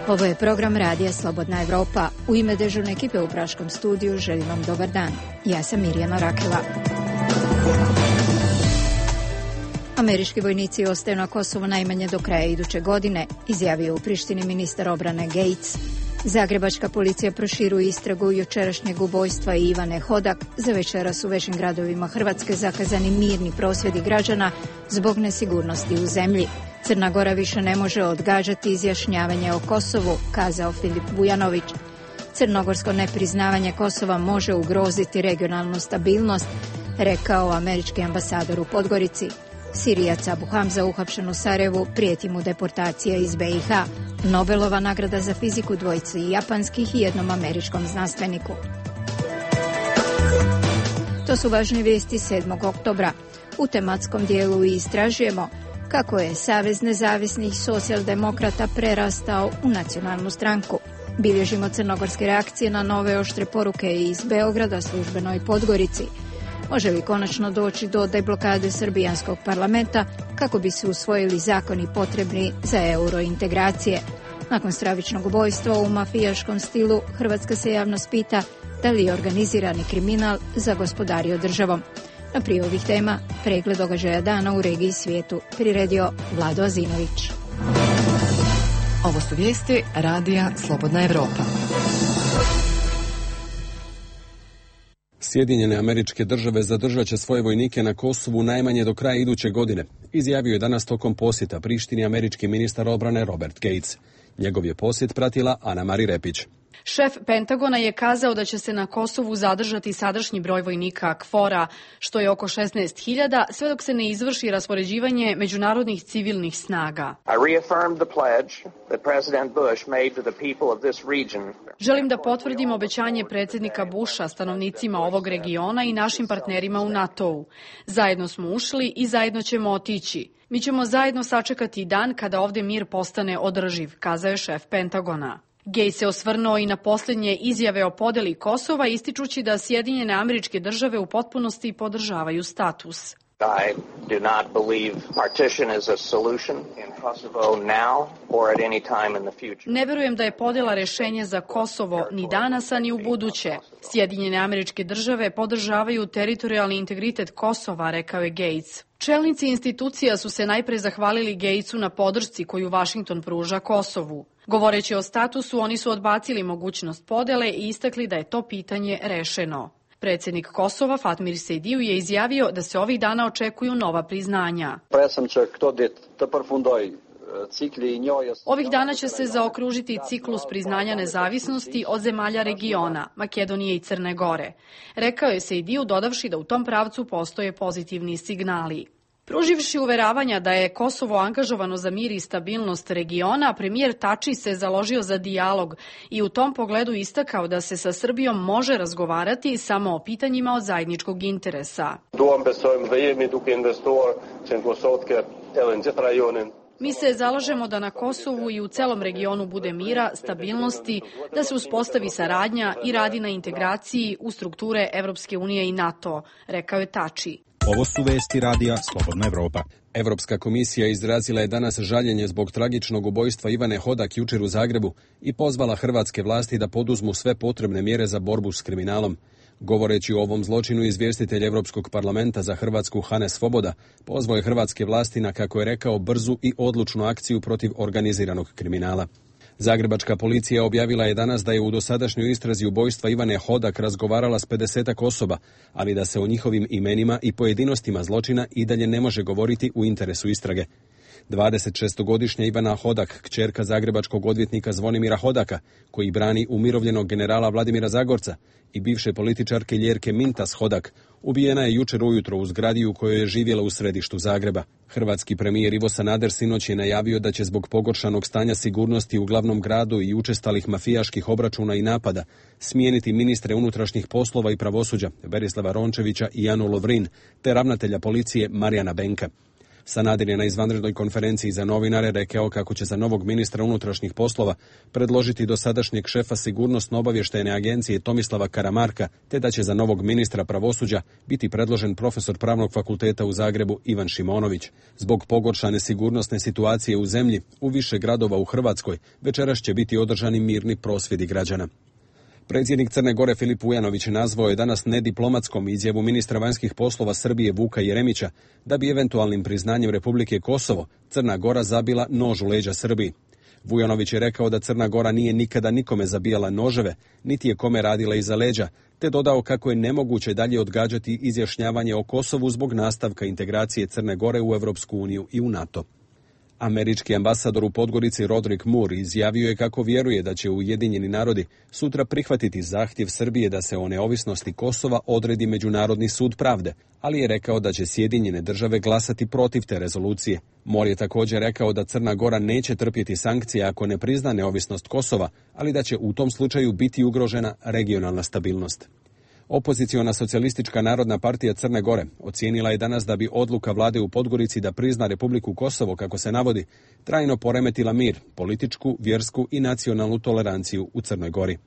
Ovo je program Radija Slobodna Evropa. U ime dežurne ekipe u Praškom studiju želim vam dobar dan. Ja sam Mirjana Rakela. Američki vojnici ostaju na Kosovu najmanje do kraja iduće godine, izjavio u Prištini ministar obrane Gates. Zagrebačka policija proširuje istragu jučerašnjeg ubojstva Ivane Hodak. Za večeras u većim gradovima Hrvatske zakazani mirni prosvjedi građana zbog nesigurnosti u zemlji. Crna Gora više ne može odgađati izjašnjavanje o Kosovu, kazao Filip Vujanović. Crnogorsko nepriznavanje Kosova može ugroziti regionalnu stabilnost, rekao američki ambasador u Podgorici. Sirijac Abu Hamza uhapšen u Sarajevu, prijeti mu deportacija iz BiH. Nobelova nagrada za fiziku dvojici japanskih i jednom američkom znanstveniku. To su važne vijesti 7. oktobra. U tematskom dijelu istražujemo kako je Savez nezavisnih socijaldemokrata prerastao u nacionalnu stranku. Bilježimo crnogorske reakcije na nove oštre poruke iz Beograda službenoj Podgorici. Može li konačno doći do deblokade srbijanskog parlamenta kako bi se usvojili zakoni potrebni za eurointegracije? Nakon stravičnog ubojstva u mafijaškom stilu, Hrvatska se javnost pita da li je organizirani kriminal zagospodario državom. Na prije ovih tema pregled događaja dana u regiji i svijetu priredio Vlado Azinović. Ovo su vijesti Radija Slobodna Evropa. Sjedinjene Američke Države zadržat će svoje vojnike na Kosovu najmanje do kraja iduće godine, izjavio je danas tokom posjeta Prištini američki ministar obrane Robert Gates. Njegov je posjet pratila Ana Mari Repić. Šef Pentagona je kazao da će se na Kosovu zadržati sadašnji broj vojnika KFOR-a, što je oko 16.000, sve dok se ne izvrši raspoređivanje međunarodnih civilnih snaga. Želim da potvrdim obećanje predsjednika Busha stanovnicima ovog regiona i našim partnerima u NATO-u. Zajedno smo ušli i zajedno ćemo otići. Mi ćemo zajedno sačekati dan kada ovdje mir postane održiv, kazao je šef Pentagona. Gates se osvrnuo i na posljednje izjave o podeli Kosova, ističući da Sjedinjene Američke Države u potpunosti podržavaju status. I do not believe partition is a solution in Kosovo now or at any time in the future. Ne vjerujem da je podjela rješenje za Kosovo ni danas, a ni u buduće. Sjedinjene Američke Države podržavaju teritorijalni integritet Kosova, rekao je Gates. Čelnici institucija su se najpre zahvalili Gatesu na podršci koju Washington pruža Kosovu. Govoreći o statusu, oni su odbacili mogućnost podjele i istakli da je to pitanje rešeno. Predsjednik Kosova Fatmir Sejdiu je izjavio da se ovih dana očekuju nova priznanja. Ovih dana će se zaokružiti ciklus priznanja nezavisnosti od zemalja regiona, Makedonije i Crne Gore. Rekao je Sejdiu, dodavši da u tom pravcu postoje pozitivni signali. Pruživši uveravanja da je Kosovo angažovano za mir i stabilnost regiona, premijer Tači se založio za dijalog i u tom pogledu istakao da se sa Srbijom može razgovarati samo o pitanjima od zajedničkog interesa. Mi se zalažemo da na Kosovu i u celom regionu bude mira, stabilnosti, da se uspostavi saradnja i radi na integraciji u strukture Evropske unije i NATO, rekao je Tači. Ovo su vesti Radija Slobodna Evropa. Evropska komisija izrazila je danas žaljenje zbog tragičnog ubojstva Ivane Hodak jučer u Zagrebu i pozvala hrvatske vlasti da poduzmu sve potrebne mjere za borbu s kriminalom. Govoreći o ovom zločinu, izvjestitelj Europskog parlamenta za Hrvatsku Hane Svoboda pozvao je hrvatske vlasti na, kako je rekao, brzu i odlučnu akciju protiv organiziranog kriminala. Zagrebačka policija objavila je danas da je u dosadašnjoj istrazi ubojstva Ivane Hodak razgovarala s 50 osoba, ali da se o njihovim imenima i pojedinostima zločina i dalje ne može govoriti u interesu istrage. 26-godišnja Ivana Hodak, kćerka zagrebačkog odvjetnika Zvonimira Hodaka, koji brani umirovljenog generala Vladimira Zagorca, i bivše političarke Ljerke Mintas Hodak, ubijena je jučer ujutro u zgradi u kojoj je živjela u središtu Zagreba. Hrvatski premijer Ivo Sanader sinoć je najavio da će zbog pogoršanog stanja sigurnosti u glavnom gradu i učestalih mafijaških obračuna i napada smijeniti ministre unutrašnjih poslova i pravosuđa Berislava Rončevića i Anu Lovrin, te ravnatelja policije Marijana Benka. Sanader je na izvanrednoj konferenciji za novinare rekao kako će za novog ministra unutrašnjih poslova predložiti dosadašnjeg šefa sigurnosno-obavještajne agencije Tomislava Karamarka, te da će za novog ministra pravosuđa biti predložen profesor Pravnog fakulteta u Zagrebu Ivan Šimonović. Zbog pogoršane sigurnosne situacije u zemlji, u više gradova u Hrvatskoj, večeras će biti održani mirni prosvjedi građana. Predsjednik Crne Gore Filip Vujanović nazvao je danas nediplomatskom izjavu ministra vanjskih poslova Srbije Vuka Jeremića da bi eventualnim priznanjem Republike Kosovo Crna Gora zabila nož u leđa Srbiji. Vujanović je rekao da Crna Gora nije nikada nikome zabijala noževe, niti je kome radila iza leđa, te dodao kako je nemoguće dalje odgađati izjašnjavanje o Kosovu zbog nastavka integracije Crne Gore u Europsku uniju i u NATO. Američki ambasador u Podgorici Roderick Moore izjavio je kako vjeruje da će Ujedinjeni narodi sutra prihvatiti zahtjev Srbije da se o neovisnosti Kosova odredi Međunarodni sud pravde, ali je rekao da će Sjedinjene države glasati protiv te rezolucije. Moore je također rekao da Crna Gora neće trpjeti sankcije ako ne prizna neovisnost Kosova, ali da će u tom slučaju biti ugrožena regionalna stabilnost. Opoziciona socijalistička narodna partija Crne Gore ocijenila je danas da bi odluka vlade u Podgorici da prizna Republiku Kosovo, kako se navodi, trajno poremetila mir, političku, vjersku i nacionalnu toleranciju u Crnoj Gori.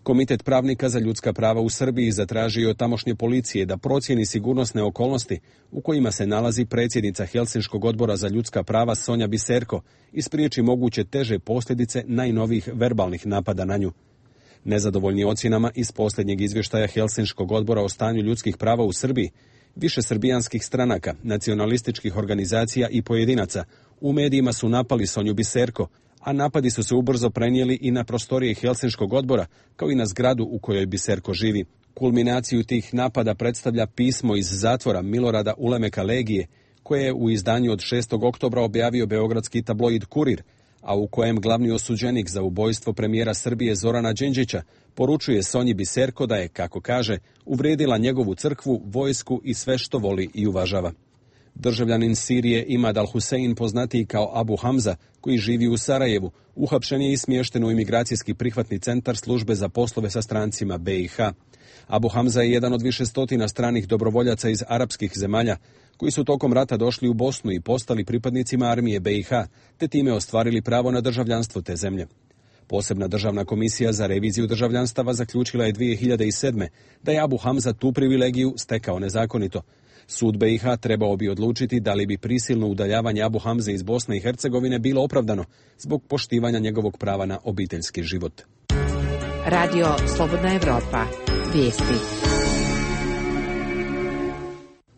Komitet pravnika za ljudska prava u Srbiji zatražio od tamošnje policije da procijeni sigurnosne okolnosti u kojima se nalazi predsjednica Helsinškog odbora za ljudska prava Sonja Biserko i spriječi moguće teže posljedice najnovijih verbalnih napada na nju. Nezadovoljni ocjenama iz posljednjeg izvještaja Helsinškog odbora o stanju ljudskih prava u Srbiji, više srbijanskih stranaka, nacionalističkih organizacija i pojedinaca u medijima su napali Sonju Biserko, a napadi su se ubrzo prenijeli i na prostorije Helsinškog odbora, kao i na zgradu u kojoj Biserko živi. Kulminaciju tih napada predstavlja pismo iz zatvora Milorada Ulemeka Legije, koje je u izdanju od 6. oktobra objavio beogradski tabloid Kurir, a u kojem glavni osuđenik za ubojstvo premijera Srbije Zorana Đinđića poručuje Sonji Biserko da je, kako kaže, uvrijedila njegovu crkvu, vojsku i sve što voli i uvažava. Državljanin Sirije Imad al-Husein, poznatiji kao Abu Hamza, koji živi u Sarajevu, uhapšen je i smješten u imigracijski prihvatni centar službe za poslove sa strancima BiH. Abu Hamza je jedan od više stotina stranih dobrovoljaca iz arapskih zemalja koji su tokom rata došli u Bosnu i postali pripadnicima armije BiH, te time ostvarili pravo na državljanstvo te zemlje. Posebna državna komisija za reviziju državljanstava zaključila je 2007. da je Abu Hamza tu privilegiju stekao nezakonito. Sud BiH trebao bi odlučiti da li bi prisilno udaljavanje Abu Hamze iz Bosne i Hercegovine bilo opravdano zbog poštivanja njegovog prava na obiteljski život. Radio Slobodna Evropa. Vijesti.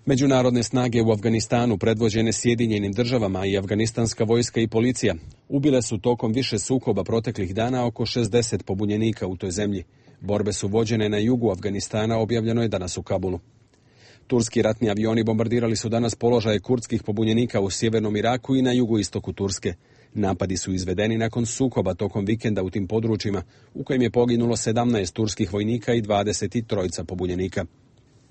Međunarodne snage u Afganistanu, predvođene Sjedinjenim državama, i afganistanska vojska i policija ubile su tokom više sukoba proteklih dana oko 60 pobunjenika u toj zemlji. Borbe su vođene na jugu Afganistana, objavljeno je danas u Kabulu. Turski ratni avioni bombardirali su danas položaje kurdskih pobunjenika u sjevernom Iraku i na jugoistoku Turske. Napadi su izvedeni nakon sukoba tokom vikenda u tim područjima, u kojem je poginulo 17 turskih vojnika i 23 pobunjenika.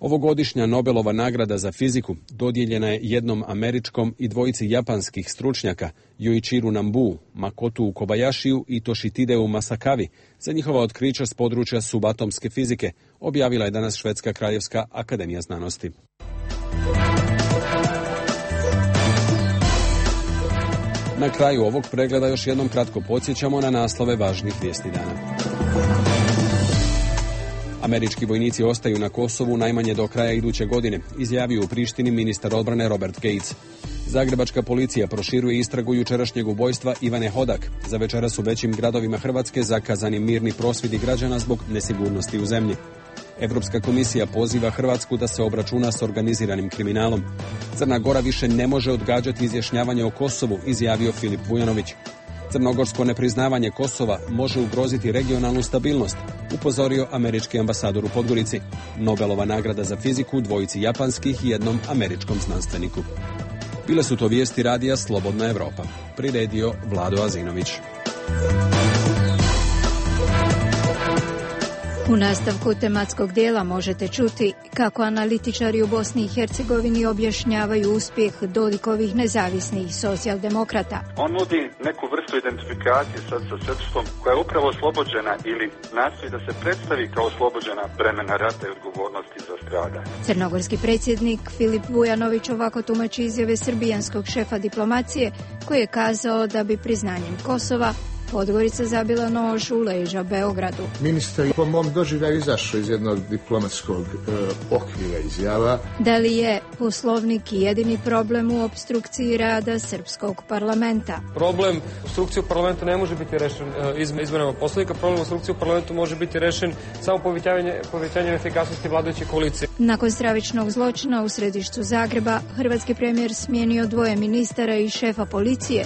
Ovogodišnja Nobelova nagrada za fiziku dodijeljena je jednom američkom i dvojici japanskih stručnjaka, Yoichiru Nambu, Makotu Kobayashiju i Toshitideu Masakavi, za njihova otkrića s područja subatomske fizike, objavila je danas Švedska kraljevska akademija znanosti. Na kraju ovog pregleda još jednom kratko podsjećamo na naslove važnih vijesti dana. Američki vojnici ostaju na Kosovu najmanje do kraja iduće godine, izjavio u Prištini ministar odbrane Robert Gates. Zagrebačka policija proširuje istragu jučerašnjeg ubojstva Ivane Hodak. Za večeras u većim gradovima Hrvatske zakazani mirni prosvjedi građana zbog nesigurnosti u zemlji. Europska komisija poziva Hrvatsku da se obračuna s organiziranim kriminalom. Crna Gora više ne može odgađati izjašnjavanje o Kosovu, izjavio Filip Vujanović. Crnogorsko nepriznavanje Kosova može ugroziti regionalnu stabilnost, upozorio američki ambasador u Podgorici. Nobelova nagrada za fiziku dvojici japanskih i jednom američkom znanstveniku. Bile su to vijesti radija Slobodna Evropa. Priredio Vlado Azinović. U nastavku tematskog dijela možete čuti kako analitičari u Bosni i Hercegovini objašnjavaju uspjeh Dodikovih nezavisnih socijaldemokrata. On nudi neku vrstu identifikacije sa srpstvom koja je upravo oslobođena ili nastoji da se predstavi kao oslobođena bremena rata i odgovornosti za stradanje. Crnogorski predsjednik Filip Vujanović ovako tumači izjave srbijanskog šefa diplomacije koji je kazao da bi priznanjem Kosova Podgorica zabila nož u leđa Beogradu. Ministar je po mom doživljaju izašao iz jednog diplomatskog okvira izjava. Da li je Poslovnik jedini problem u opstrukciji rada srpskog parlamenta? Problem opstrukcije u parlamentu ne može biti rešen izmenama Poslovnika. Problem opstrukcije u parlamentu može biti rešen samo povećanjem efikasnosti vladajuće koalicije. Nakon stravičnog zločina u središtu Zagreba, hrvatski premijer smijenio 2 ministara i šefa policije.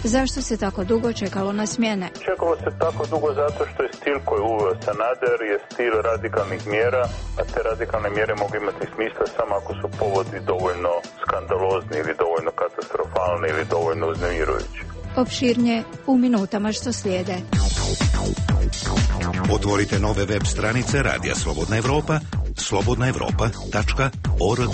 Zašto se tako dugo čekalo na smjene? Čekalo se tako dugo zato što je stil koji je uveo Sanader je stil radikalnih mjera, a te radikalne mjere mogu imati smisla samo ako su povodi dovoljno skandalozni ili dovoljno katastrofalni ili dovoljno uznemirujući. Opširnije u minutama što slijede. Otvorite nove web stranice Radija Slobodna Evropa, slobodnaevropa.org.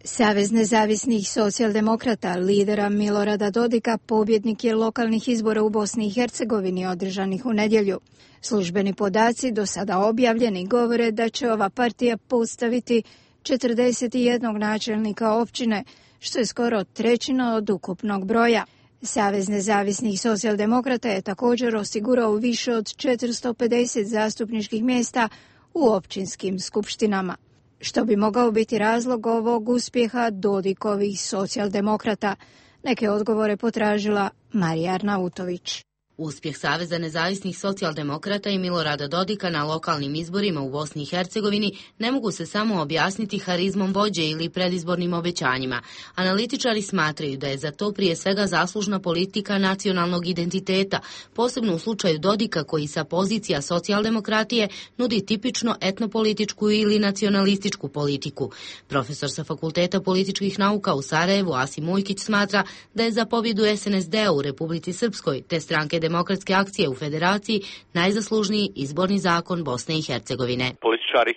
Savez nezavisnih socijaldemokrata, lidera Milorada Dodika, pobjednik je lokalnih izbora u Bosni i Hercegovini održanih u nedjelju. Službeni podaci do sada objavljeni govore da će ova partija postaviti 41 načelnika općine, što je skoro 1/3 od ukupnog broja. Savez nezavisnih socijaldemokrata je također osigurao više od 450 zastupničkih mjesta u općinskim skupštinama. Što bi mogao biti razlog ovog uspjeha Dodikovih socijaldemokrata? Neke odgovore potražila Marija Arnautović. Uspjeh Saveza nezavisnih socijaldemokrata i Milorada Dodika na lokalnim izborima u Bosni i Hercegovini ne mogu se samo objasniti harizmom vođe ili predizbornim obećanjima. Analitičari smatraju da je za to prije svega zaslužna politika nacionalnog identiteta, posebno u slučaju Dodika koji sa pozicija socijaldemokratije nudi tipično etnopolitičku ili nacionalističku politiku. Profesor sa Fakulteta političkih nauka u Sarajevu Asim Ujkić smatra da je za pobjedu SNSD-a u Republici Srpskoj te stranke Demokratske akcije u Federaciji najzaslužniji izborni zakon Bosne i Hercegovine. Političari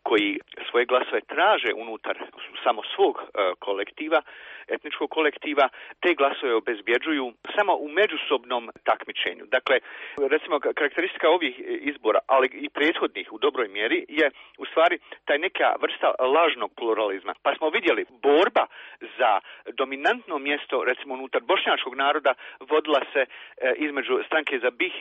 koji svoje glasove traže unutar samo svog kolektiva, etničkog kolektiva, te glasove obezbjeđuju samo u međusobnom takmičenju. Dakle, recimo karakteristika ovih izbora, ali i prethodnih u dobroj mjeri je u stvari taj neka vrsta lažnog pluralizma. Pa smo vidjeli borba za dominantno mjesto, recimo unutar bošnjačkog naroda, vodila se između stranke za BiH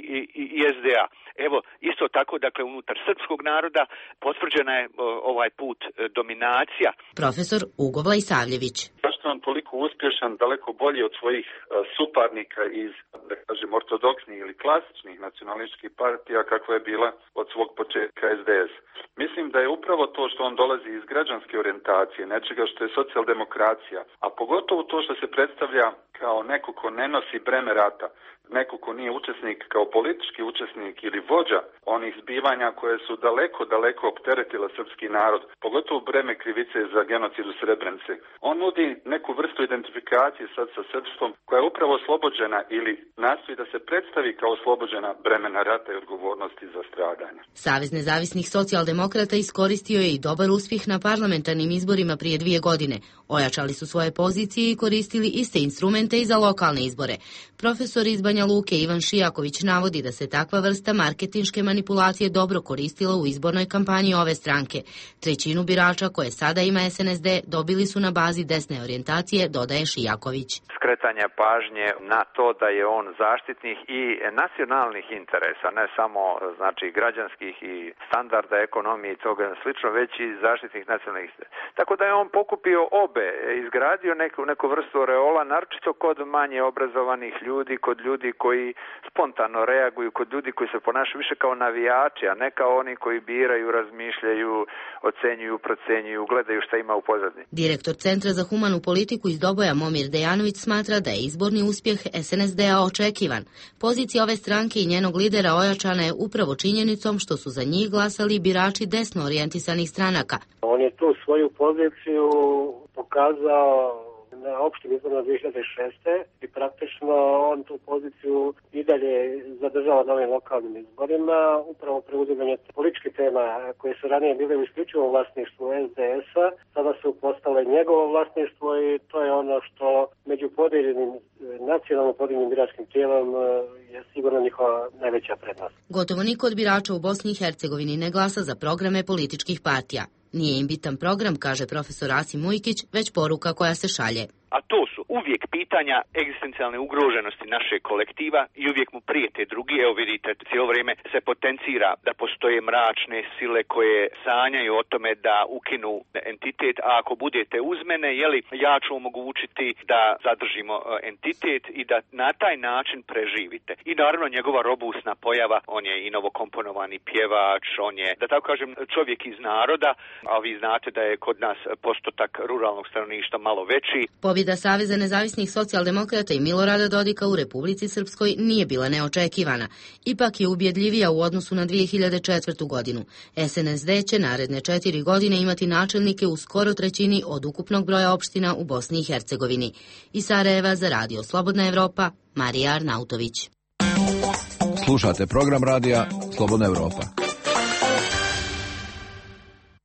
i SDA. Evo, isto tako, dakle, unutar srpskog naroda potvrđena je ovaj put dominacija. Profesor Ugo Vlajsavljević. Zašto on toliko uspješan, daleko bolji od svojih suparnika iz, da kažem, ortodoksnih ili klasičnih nacionalističkih partija kakva je bila od svog početka SDS? Mislim da je upravo to što on dolazi iz građanske orijentacije, nečega što je socijaldemokracija, a pogotovo to što se predstavlja kao neko ko ne nosi breme rata, neko ko nije učesnik kao politički učesnik ili vođa onih zbivanja koje su daleko opteretila srpski narod, pogotovo breme krivice za genocid u Srebrenici. On nudi neku vrstu identifikacije sad sa srpstvom koja je upravo oslobođena ili nastoji da se predstavi kao oslobođena bremena rata i odgovornosti za stradanje. Savez nezavisnih socijaldemokrata iskoristio je i dobar uspjeh na parlamentarnim izborima prije 2 godine. Ojačali su svoje pozicije i koristili iste instrumente i za lokalne izbore. Profesor iz Banja Luke Ivan Šijaković navodi da se takva vrsta marketinške manipulacije dobro koristila u izbornoj kampanji ove stranke. 1/3 birača koje sada ima SNSD dobili su na bazi desne orijentacije, dodaje Šijaković. Skretanja pažnje na to da je on zaštitnik i nacionalnih interesa, ne samo znači građanskih i standarda ekonomije i toga slično, već i zaštitnih nacionalnih interesa. Tako da je on pokupio obe, izgradio neku vrstu oreola, naročito kod manje obrazovanih ljudi, kod ljudi koji spontano reaguju, kod ljudi koji se ponašaju više kao navijači, a ne kao oni koji biraju, razmišljaju, ocenjuju, procenjuju, gledaju šta ima u pozadini. Direktor Centra za humanu politiku iz Doboja Momir Dejanović smatra da je izborni uspjeh SNSD-a očekivan. Pozicija ove stranke i njenog lidera ojačana je upravo činjenicom što su za njih glasali birači desno orijentisanih stranaka. On je tu svoju poziciju pokazao na opštim izborima 2006. i praktično on tu poziciju i dalje zadržava na ovim lokalnim izborima, upravo preuzimanje političkih tema koje su ranije bile u isključivom vlasništvu SDS-a, sada su postale njegovo vlasništvo i to je ono što među podijeljenim nacionalno podijeljenim biračkim tijelom je sigurno njihova najveća prednost. Gotovo niko od birača u Bosni i Hercegovini ne glasa za programe političkih partija. Nije im bitan program, kaže profesor Asim Mujkić, već poruka koja se šalje. A to su uvijek pitanja egzistencijalne ugroženosti našeg kolektiva i uvijek mu prijete drugi. Evo vidite, cijelo vrijeme se potencira da postoje mračne sile koje sanjaju o tome da ukinu entitet, a ako budete uz mene, ja ću omogućiti da zadržimo entitet i da na taj način preživite. I naravno njegova robusna pojava, on je i novokomponovani pjevač, on je, da tako kažem, čovjek iz naroda, a vi znate da je kod nas postotak ruralnog stanovništva malo veći. Pobjeda Saveza nezavisnih socijaldemokrata i Milorada Dodika u Republici Srpskoj nije bila neočekivana. Ipak je ubjedljivija u odnosu na 2004. godinu. SNSD će naredne 4 godine imati načelnike u skoro trećini od ukupnog broja opština u Bosni i Hercegovini. Iz Sarajeva za Radio Slobodna Evropa, Marija Arnautović. Slušate program radija Slobodna Evropa.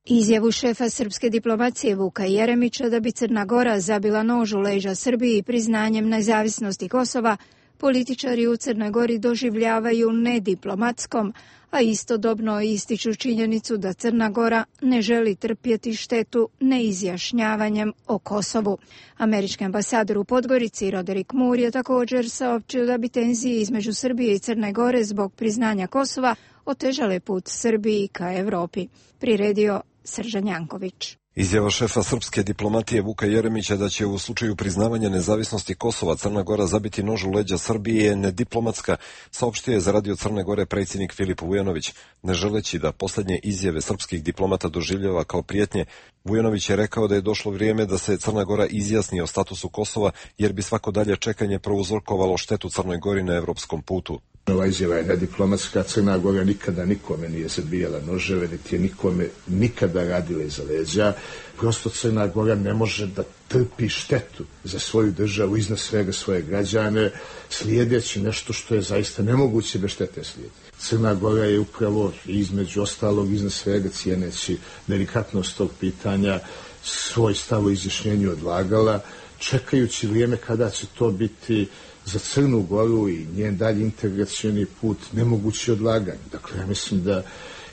Izjavu šefa srpske diplomacije Vuka Jeremića da bi Crna Gora zabila nož u leđa Srbiji priznanjem nezavisnosti Kosova, političari u Crnoj Gori doživljavaju nediplomatskom, a istodobno ističu činjenicu da Crna Gora ne želi trpjeti štetu neizjašnjavanjem o Kosovu. Američki ambasador u Podgorici Roderick Moore je također saopćio da bi tenzije između Srbije i Crne Gore zbog priznanja Kosova otežale put Srbiji ka Evropi. Priredio Sržan Janković. Izjava šefa srpske diplomatije Vuka Jeremića da će u slučaju priznavanja nezavisnosti Kosova Crna Gora zabiti nož u leđa Srbije je nediplomatska, saopštio je za Radio Crne Gore predsjednik Filip Vujanović. Ne želeći da posljednje izjave srpskih diplomata doživljava kao prijetnje, Vujanović je rekao da je došlo vrijeme da se Crna Gora izjasni o statusu Kosova, jer bi svako dalje čekanje prouzrokovalo štetu Crnoj Gori na evropskom putu. Ova izjava je nediplomatska. Crna Gora nikada nikome nije zabijala noževe, niti je nikome nikada radila iza leđa. Prosto Crna Gora ne može da trpi štetu za svoju državu, iznad svega svoje građane, slijedeći nešto što je zaista nemoguće bez štete slijediti. Crna Gora je upravo između ostalog iznad svega cijeneći delikatnost tog pitanja svoj stav o izjašnjenju odlagala, čekajući vrijeme kada će to biti za Crnu Goru i njen dalji integracioni put nemogući odlaganje. Dakle, ja mislim da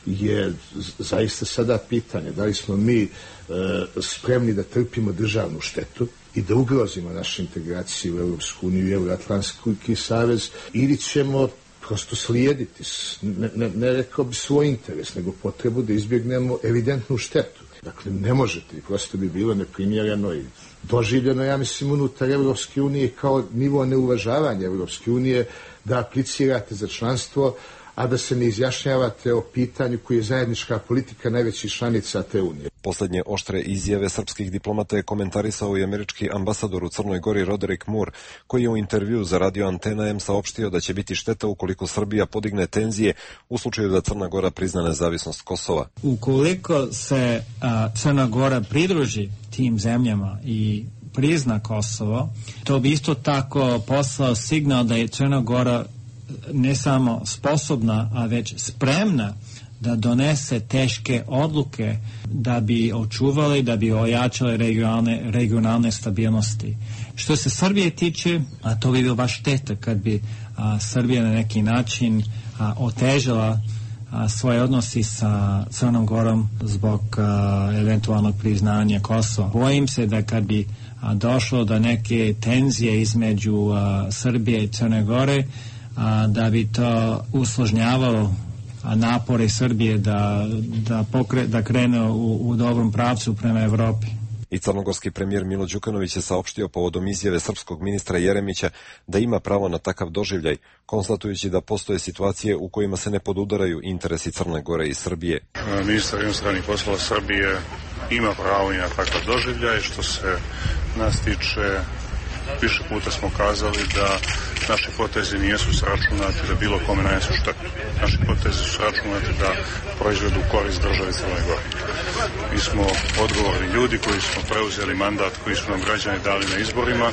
je zaista sada pitanje da li smo mi spremni da trpimo državnu štetu i da ugrozimo našu integraciju u Europsku uniju i Euroatlantski savez, ili ćemo prosto slijediti, ne rekao bi svoj interes, nego potrebu da izbjegnemo evidentnu štetu. Dakle, ne možete, prosto bi bilo neprimjereno i doživljeno, ja mislim, unutar Evropske unije kao nivo neuvažavanja Evropske unije da aplicirate za članstvo, a da se ne izjašnjavate o pitanju koji je zajednička politika najvećih članica te unije. Posljednje oštre izjave srpskih diplomata je komentarisao i američki ambasador u Crnoj Gori Roderick Moore, koji je u intervju za Radio Antena M saopštio da će biti šteta ukoliko Srbija podigne tenzije u slučaju da Crna Gora prizna nezavisnost Kosova. Ukoliko se Crna Gora pridruži tim zemljama i prizna Kosovo, to bi isto tako poslao signal da je Crna Gora ne samo sposobna, a već spremna da donese teške odluke da bi očuvali, da bi ojačali regionalne stabilnosti. Što se Srbije tiče, a to bi bilo baš šteta kad bi Srbija na neki način otežala svoje odnosi sa Crnom Gorom zbog eventualnog priznanja Kosova. Bojim se da kad bi došlo do neke tenzije između Srbije i Crne Gore, da bi to usložnjavalo napore Srbije da krene u dobrom pravcu prema Evropi. I crnogorski premijer Milo Đukanović je saopštio povodom izjave srpskog ministra Jeremića da ima pravo na takav doživljaj, konstatujući da postoje situacije u kojima se ne podudaraju interesi Crne Gore i Srbije. Ministar inostranih poslova Srbije ima pravo i na takav doživljaj. Što se nas tiče, više puta smo kazali da naši potezi nijesu sračunati da bilo kome nanesu štetu. Naši potezi su sračunati da proizvedu korist države Crne Gore. Mi smo odgovorni ljudi koji smo preuzeli mandat koji su nam građani dali na izborima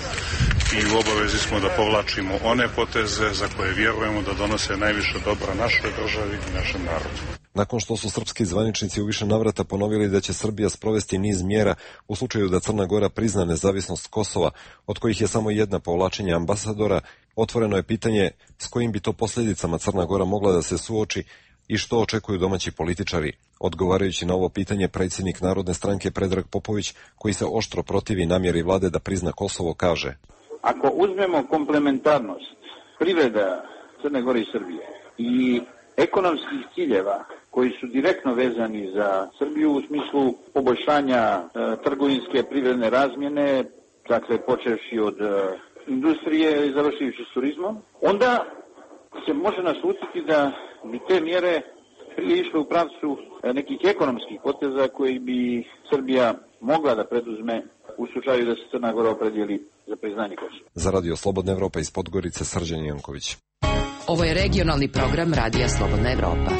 i u obavezi smo da povlačimo one poteze za koje vjerujemo da donose najviše dobra našoj državi i našem narodu. Nakon što su srpski zvaničnici u više navrata ponovili da će Srbija sprovesti niz mjera u slučaju da Crna Gora prizna nezavisnost Kosova, od kojih je samo jedna povlačenje ambasadora, otvoreno je pitanje s kojim bi to posljedicama Crna Gora mogla da se suoči i što očekuju domaći političari. Odgovarajući na ovo pitanje, predsjednik Narodne stranke Predrag Popović, koji se oštro protivi namjeri vlade da prizna Kosovo, kaže: Ako uzmemo komplementarnost privreda Crne Gore i Srbije i ekonomskih ciljeva koji su direktno vezani za Srbiju u smislu poboljšanja trgovinske privredne razmjene, dakle počevši od industrije i završivši s turizmom, onda se može naslutiti da bi te mjere prije išle u pravcu nekih ekonomskih poteza koji bi Srbija mogla da preduzme u slučaju da se Crna Gora opredijeli za priznanje Kosova. Za Radio Slobodna Evropa iz Podgorice, Srđan Janković. Ovo je regionalni program Radija Slobodna Evropa.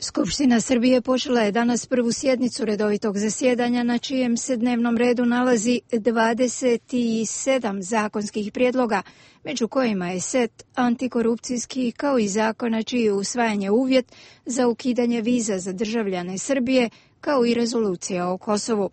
Skupština Srbije počela je danas prvu sjednicu redovitog zasjedanja na čijem se dnevnom redu nalazi 27 zakonskih prijedloga, među kojima je set antikorupcijskih kao i zakona čiji je usvajanje uvjet za ukidanje viza za državljane Srbije, kao i rezolucija o Kosovu.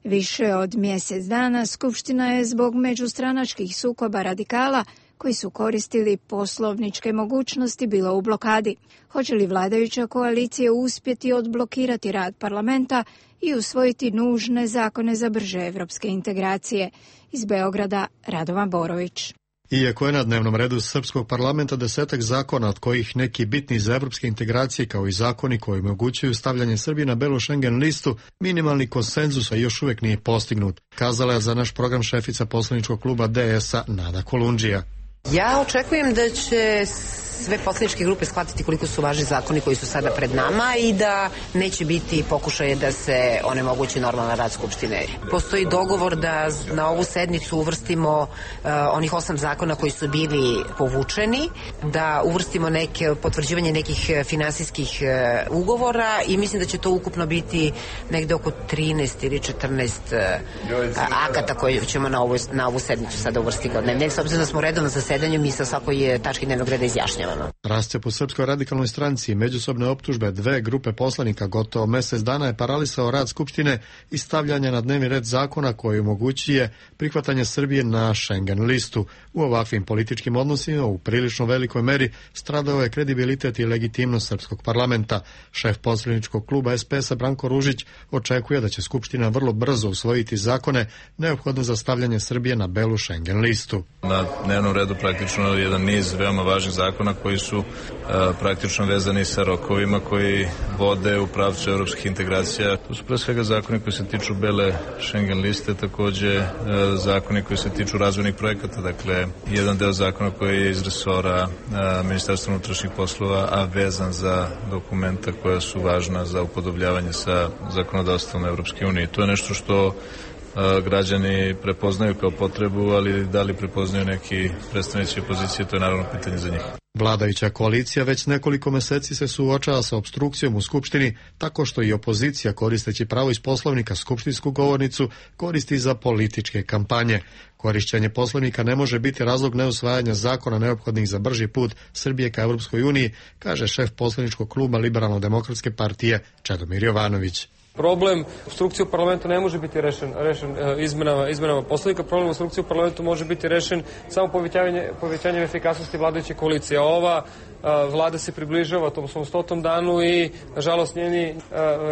Više od mjesec dana Skupština je zbog međustranačkih sukoba radikala koji su koristili poslovničke mogućnosti bila u blokadi. Hoće li vladajuća koalicija uspjeti odblokirati rad parlamenta i usvojiti nužne zakone za brže evropske integracije? Iz Beograda, Radovan Borović. Iako je na dnevnom redu srpskog parlamenta 10 zakona, od kojih neki bitni za evropske integracije, kao i zakoni koji omogućuju stavljanje Srbije na belu Schengen listu, minimalni konsenzus još uvijek nije postignut, kazala je za naš program šefica poslaničkog kluba DS-a Nada Kolundžija. Ja očekujem da će sve poslaničke grupe shvatiti koliko su važni zakoni koji su sada pred nama i da neće biti pokušaje da se onemogući normalan rad Skupštine. Postoji dogovor da na ovu sednicu uvrstimo onih 8 zakona koji su bili povučeni, da uvrstimo potvrđivanje nekih finansijskih ugovora i mislim da će to ukupno biti negde oko 13 ili 14 akata koje ćemo na ovu sednicu sada uvrstiti. Ne, s obzirom da smo redovno zasedanju, mi sa svakoj tački dnevnog reda izjašnjavamo. Rascjep u Srpskoj radikalnoj stranci i međusobne optužbe dve grupe poslanika gotovo mjesec dana je paralisao rad Skupštine i stavljanje na dnevni red zakona koji omogućuje prihvatanje Srbije na Schengen listu. U ovakvim političkim odnosima u prilično velikoj meri stradao je kredibilitet i legitimnost srpskog parlamenta. Šef poslaničkog kluba SPS-a Branko Ružić očekuje da će Skupština vrlo brzo usvojiti zakone neophodne za stavljanje Srbije na belu Schengen listu. Na dnevnom redu praktično jedan niz veoma važnih zakona koji su praktično vezani sa rokovima koji vode u pravcu evropskih integracija. To su pre svega zakoni koji se tiču bele Schengen liste, takođe zakoni koji se tiču razvojnih projekata, dakle jedan deo zakona koji je iz resora Ministarstva unutrašnjih poslova, a vezan za dokumenta koja su važna za upodobljavanje sa zakonodavstvom Evropske unije. To je nešto što građani prepoznaju kao potrebu, ali da li prepoznaju neki predstavnici opozicije, to je naravno pitanje za njih. Vladajuća koalicija već nekoliko meseci se suočava sa opstrukcijom u Skupštini, tako što i opozicija, koristeći pravo iz Poslovnika, skupštinsku govornicu koristi za političke kampanje. Korišćenje Poslovnika ne može biti razlog neusvajanja zakona neophodnih za brži put Srbije ka Evropskoj uniji, kaže šef poslaničkog kluba Liberalno-demokratske partije Čedomir Jovanović. Problem opstrukcije u parlamentu ne može biti rešen izmenama Poslovnika. Problem opstrukcije u parlamentu može biti rešen samo povećanjem efikasnosti vladajuće koalicije. Ova vlada se približava tom svom 100. danu i, nažalost, njeni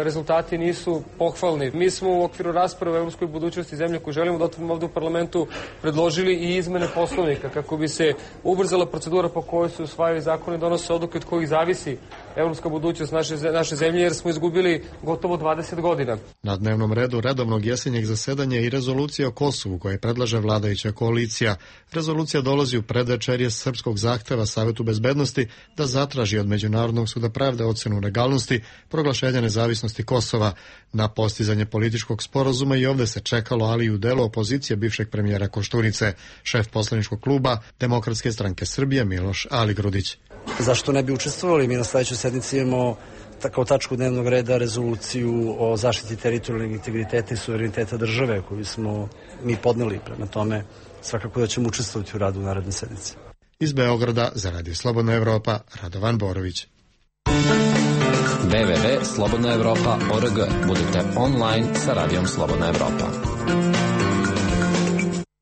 rezultati nisu pohvalni. Mi smo u okviru rasprave o evropskoj budućnosti zemlje koju želimo da otvorimo ovdje u parlamentu predložili i izmene Poslovnika kako bi se ubrzala procedura po kojoj se usvajaju zakoni, donose odluke od kojih zavisi evropska budućnost naše zemlje, jer smo izgubili gotovo 20 godina. Na dnevnom redu redovnog jesenjeg zasedanja i rezolucija o Kosovu koje predlaže vladajuća koalicija. Rezolucija dolazi u predvečerje srpskog zahteva Savetu bezbednosti da zatraži od Međunarodnog suda pravde ocenu legalnosti proglašenja nezavisnosti Kosova. Na postizanje političkog sporazuma i ovde se čekalo, ali i u delu opozicije bivšeg premijera Koštunice, šef poslaničkog kluba Demokratske stranke Srbije Miloš Aligrudić. Zašto ne bi učestvovali? Mi na sledećoj sednici imamo kao tačku dnevnog reda rezoluciju o zaštiti teritorijalnog integriteta i suvereniteta države koju smo mi podneli. Prema tome, svakako da ćemo učestvovati u radu naredne sednice. Iz Beograda za Radio Slobodna Evropa, Radovan Borović. www.slobodnaevropa.org. Budite online sa Radijom Slobodna Evropa.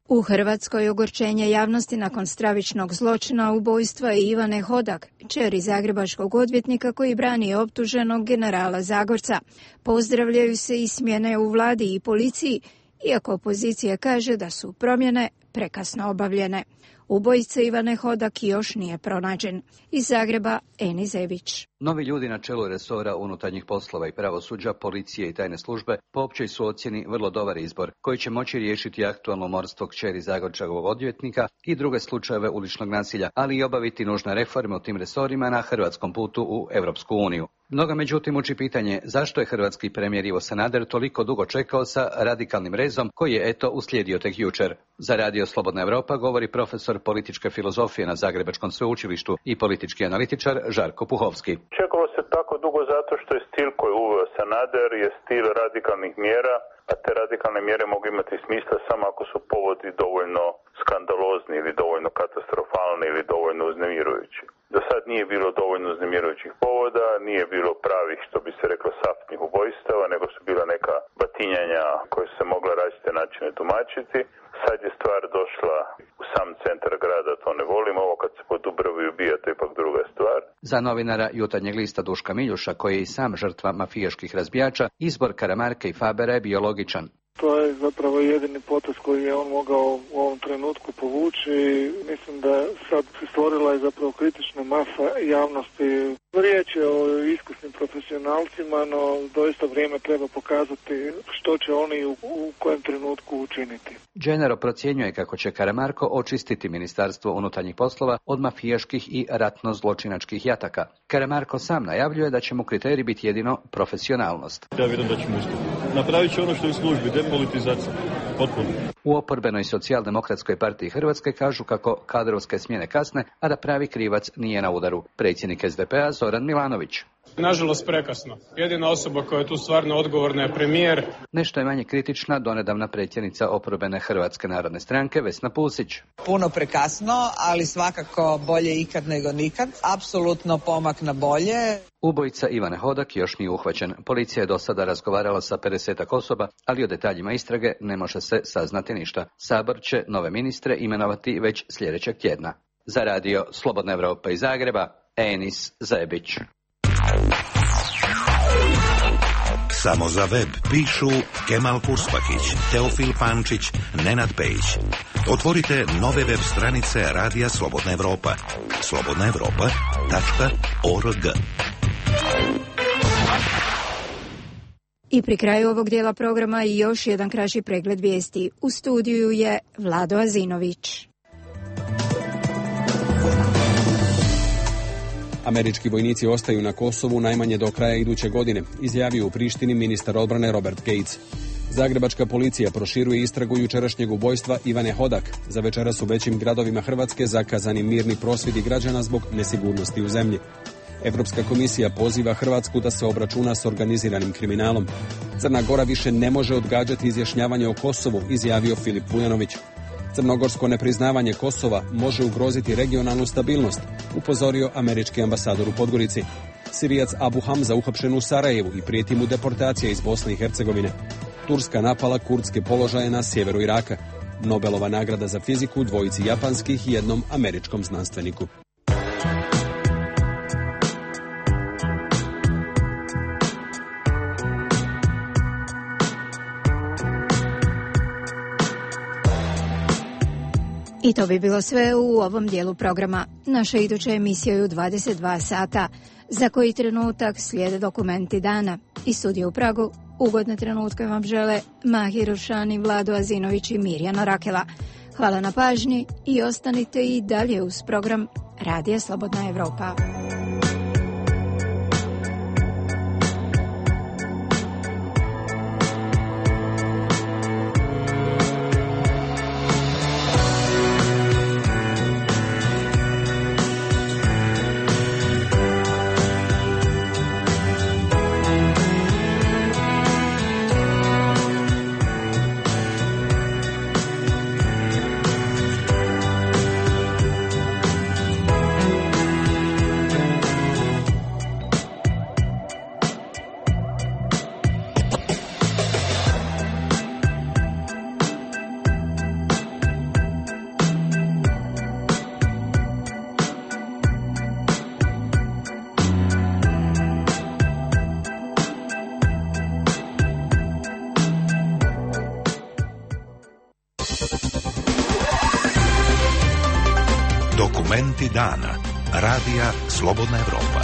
U Hrvatskoj ogorčenje javnosti nakon stravičnog zločina ubojstva Ivane Hodak, kćeri zagrebačkog odvjetnika koji brani optuženog generala Zagorca. Pozdravljaju se i smjene u vladi i policiji, iako opozicija kaže da su promjene prekasno obavljene. Ubojica Ivane Hodak još nije pronađen. Iz Zagreba, Eni Zebić. Novi ljudi na čelu resora unutarnjih poslova i pravosuđa, policije i tajne službe po općoj su ocjeni vrlo dobar izbor, koji će moći riješiti aktualno umorstvo kćeri Zagorčevog odvjetnika i druge slučajeve uličnog nasilja, ali i obaviti nužne reforme u tim resorima na hrvatskom putu u Europsku uniju. Mnoga međutim uči pitanje zašto je hrvatski premijer Ivo Sanader toliko dugo čekao sa radikalnim rezom koji je uslijedio tek jučer. Za Radio Slobodna Evropa govori profesor političke filozofije na Zagrebačkom sveučilištu i politički analitičar Žarko Puhovski. Čekalo se tako dugo zato što je stil koji uveo Sanader je stil radikalnih mjera, a te radikalne mjere mogu imati smisla samo ako su povodi dovoljno skandalozni ili dovoljno katastrofalni ili dovoljno uznemirujući. Do sad nije bilo dovoljno uznemirujućih povoda, nije bilo pravih, što bi se reklo, saftnih ubojstava, nego su bila neka batinjanja koje su se mogla različite načine tumačiti. Sad je stvar došla u sam centar grada, to ne volim, ovo kad se po Dubravi ubija, to je ipak druga stvar. Za novinara Jutarnjeg lista Duška Miljuša, koji je i sam žrtva mafijaških razbijača, izbor Karamarka i Fabera je bio logičan. To je zapravo jedini potez koji je on mogao u ovom trenutku povući i mislim da sad se stvorila je zapravo kritična masa javnosti. Riječ je o iskusnim profesionalcima, no doista vrijeme treba pokazati što će oni u kojem trenutku učiniti. Gennaro procjenjuje kako će Karamarko očistiti Ministarstvo unutarnjih poslova od mafijaških i ratno-zločinačkih jataka. Karamarko sam najavljuje da će mu kriterij biti jedino profesionalnost. Ja vjerujem da ćemo uspjeti. Napravit će ono što je u službi, depolitizacija. Potpuno. U oporbenoj Socijaldemokratskoj partiji Hrvatske kažu kako kadrovske smjene kasne, a da pravi krivac nije na udaru. Predsjednik SDP-a Zoran Milanović. Nažalost prekasno. Jedina osoba koja je tu stvarno odgovorna je premijer. Nešto je manje kritična donedavna predsjednica oporbene Hrvatske narodne stranke Vesna Pusić. Puno prekasno, ali svakako bolje ikad nego nikad. Apsolutno pomak na bolje. Ubojica Ivane Hodak još nije uhvaćen. Policija je do sada razgovarala sa 50 osoba, ali o detaljima istrage ne može se saznati ništa. Sabor će nove ministre imenovati već sljedećeg tjedna. Za Radio Slobodna Evropa iz Zagreba, Enis Zebić. Samo za web pišu Kemal Kurspakić, Teofil Pančić, Nenad Pejić. Otvorite nove web stranice Radija Slobodna Evropa. slobodnaevropa.org. I pri kraju ovog dijela programa i još jedan kraći pregled vijesti. U studiju je Vlado Azinović. Američki vojnici ostaju na Kosovu najmanje do kraja iduće godine, izjavio u Prištini ministar odbrane Robert Gates. Zagrebačka policija proširuje istragu jučerašnjeg ubojstva Ivane Hodak. Za večeras u većim gradovima Hrvatske zakazani mirni prosvjedi građana zbog nesigurnosti u zemlji. Europska komisija poziva Hrvatsku da se obračuna s organiziranim kriminalom. Crna Gora više ne može odgađati izjašnjavanje o Kosovu, izjavio Filip Vujanović. Crnogorsko nepriznavanje Kosova može ugroziti regionalnu stabilnost, upozorio američki ambasador u Podgorici. Sirijac Abu Hamza uhapšen u Sarajevu i prijeti mu deportacija iz Bosne i Hercegovine. Turska napala kurdske položaje na sjeveru Iraka. Nobelova nagrada za fiziku dvojici japanskih i jednom američkom znanstveniku. I to bi bilo sve u ovom dijelu programa. Naša iduća emisija je u 22 sata. Za koji trenutak slijede dokumenti dana. Iz studija u Pragu ugodne trenutke vam žele Mahir Rušani, Vlado Azinović i Mirjana Rakela. Hvala na pažnji i ostanite i dalje uz program Radija Slobodna Evropa. Dokumenti dana. Radija Slobodna Evropa.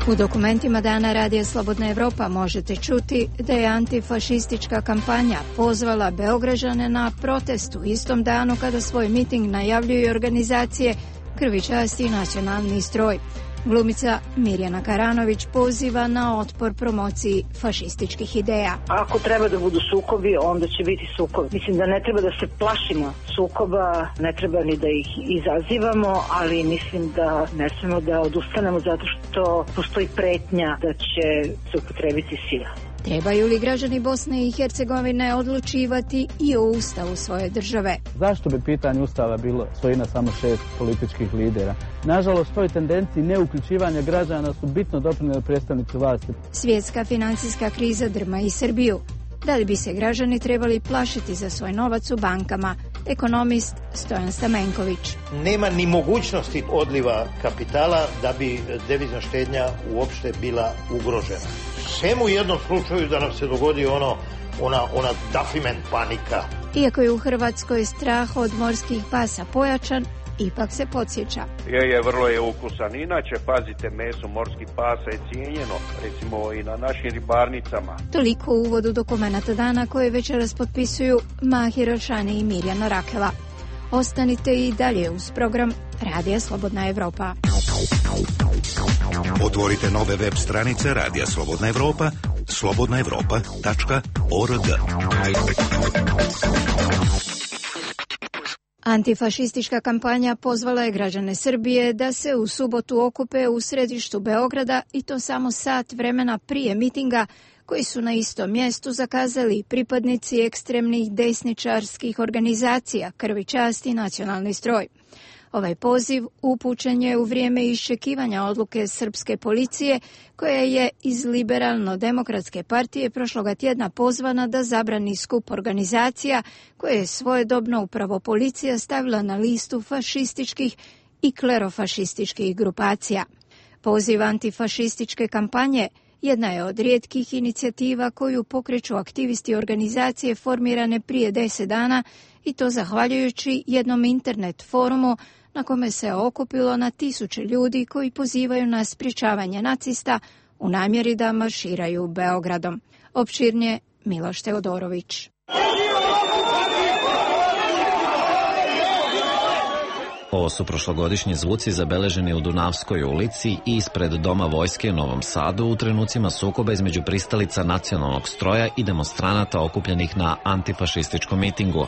U dokumentima dana Radija Slobodna Evropa možete čuti da je antifašistička kampanja pozvala Beograđane na protest u istom danu kada svoj miting najavljuju organizacije Krvi časti i Nacionalni stroj. Glumica Mirjana Karanović poziva na otpor promociji fašističkih ideja. Ako treba da budu sukobi, onda će biti sukobi. Mislim da ne treba da se plašimo sukoba, ne treba ni da ih izazivamo, ali mislim da ne smemo da odustanemo zato što postoji pretnja da će se upotrebiti sila. Trebaju li građani Bosne i Hercegovine odlučivati i o ustavu svoje države? Zašto bi pitanje ustava bilo svojina samo 6 političkih lidera? Nažalost, toj tendenciji neuključivanja građana su bitno doprinijeli predstavnici vlasti. Svjetska financijska kriza drma i Srbiju. Da li bi se građani trebali plašiti za svoj novac u bankama? Ekonomist Stojan Stamenković. Nema ni mogućnosti odliva kapitala da bi devizna štednja uopšte bila ugrožena. Sem u jednom slučaju da nam se dogodi ona dafiment panika. Iako je u Hrvatskoj strah od morskih pasa pojačan, ipak se podsjeća. Vrlo je ukusan. Inače, pazite, meso morskih pasa je cijenjeno, recimo i na našim ribarnicama. Toliko u uvodu dokumenata dana koje večeras potpisuju Mahir Rušani i Mirjana Rakela. Ostanite i dalje uz program Radija Slobodna Evropa. Otvorite nove web stranice Radija Slobodna Evropa, slobodnaevropa.org. Antifašistička kampanja pozvala je građane Srbije da se u subotu okupe u središtu Beograda i to samo sat vremena prije mitinga koji su na istom mjestu zakazali pripadnici ekstremnih desničarskih organizacija Krvi časti i Nacionalni stroj. Ovaj poziv upućen je u vrijeme iščekivanja odluke srpske policije koja je iz Liberalno-demokratske partije prošloga tjedna pozvana da zabrani skup organizacija koje je svojedobno upravo policija stavila na listu fašističkih i klerofašističkih grupacija. Poziv antifašističke kampanje jedna je od rijetkih inicijativa koju pokreću aktivisti organizacije formirane prije 10 dana i to zahvaljujući jednom internet forumu na kome se okupilo na tisuće ljudi koji pozivaju na sprječavanje nacista u namjeri da marširaju Beogradom. Opširnije Miloš Teodorović. Ovo su prošlogodišnji zvuci zabeleženi u Dunavskoj ulici i ispred Doma vojske u Novom Sadu u trenucima sukoba između pristalica Nacionalnog stroja i demonstranata okupljenih na antifašističkom mitingu.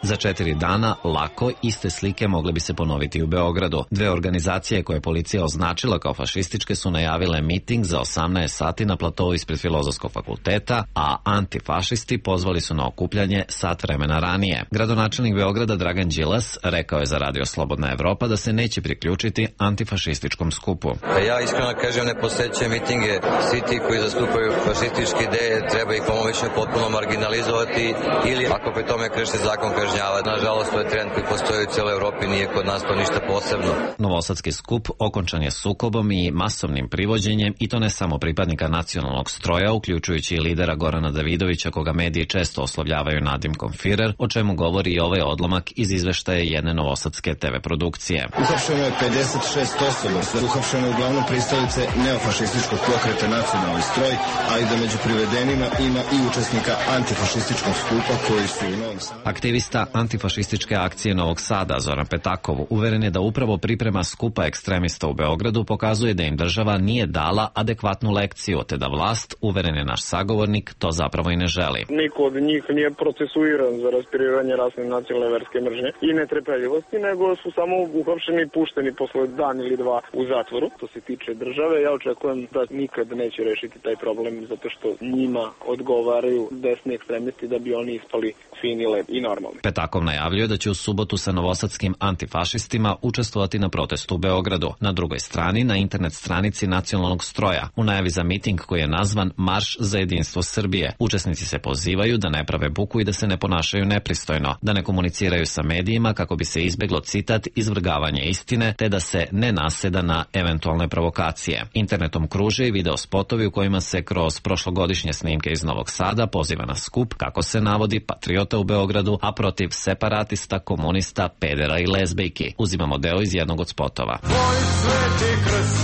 Za 4 dana lako iste slike mogle bi se ponoviti u Beogradu. Dve organizacije koje je policija označila kao fašističke su najavile miting za 18 sati na platovu ispred Filozofskog fakulteta, a antifašisti pozvali su na okupljanje sat vremena ranije. Gradonačelnik Beograda Dragan Đilas rekao je za Radio Slobodna Evropa da se neće priključiti antifašističkom skupu. Ja iskreno kažem, ne posećujem mitinge. Svi ti koji zastupaju fašističke ideje treba ih pomoćno potpuno marginalizovati ili ako pri tome krše zakon kažnjavati. kažnjavati. Nažalost, to je trend koji postoji u cijeloj Evropi, nije kod nas to ništa posebno. Novosadski skup okončan je sukobom i masovnim privođenjem, i to ne samo pripadnika nacionalnog stroja, uključujući i lidera Gorana Davidovića, koga mediji često oslovljavaju nadimkom Firer, o čemu govori i ovaj odlomak iz izveštaja jedne novosadske TV produkcije. Uhapšeno je 56 osoba, uhapšeno je uglavnom pristalice neofašističkog pokreta Nacionalni stroj, ali da među privedenima ima i učesnika antifašističkog skupa koji su u Novom Sadu. Aktivista antifašističke akcije Novog Sada, Zoran Petakov, uveren je da upravo priprema skupa ekstremista u Beogradu pokazuje da im država nije dala adekvatnu lekciju, te da vlast, uveren je naš sagovornik, to zapravo i ne želi. Niko od njih nije procesuiran za raspirivanje rasne, nacionalne, verske mržnje i netrpeljivosti, nego su samo uhapšeni i pušteni posle dan ili dva u zatvoru. To se tiče države, ja očekujem da nikad neće rešiti taj problem, zato što njima odgovaraju desni ekstremisti da bi oni ispali fini, lepi i normalni. Petakov najavljuje da će u subotu sa novosadskim antifašistima učestvovati na protestu u Beogradu. Na drugoj strani, na internet stranici Nacionalnog stroja, u najavi za miting koji je nazvan Marš za jedinstvo Srbije, učesnici se pozivaju da ne prave buku i da se ne ponašaju nepristojno, da ne komuniciraju sa medijima kako bi se izbeglo, citat, izvrgavanje istine, te da se ne naseda na eventualne provokacije. Internetom kruže i video spotovi u kojima se kroz prošlogodišnje snimke iz Novog Sada poziva na skup, kako se navodi, patriota u Beogradu, a protiv separatista, komunista, pedera i lezbejki. Uzimamo deo iz jednog od spotova. Tvoj sveti krst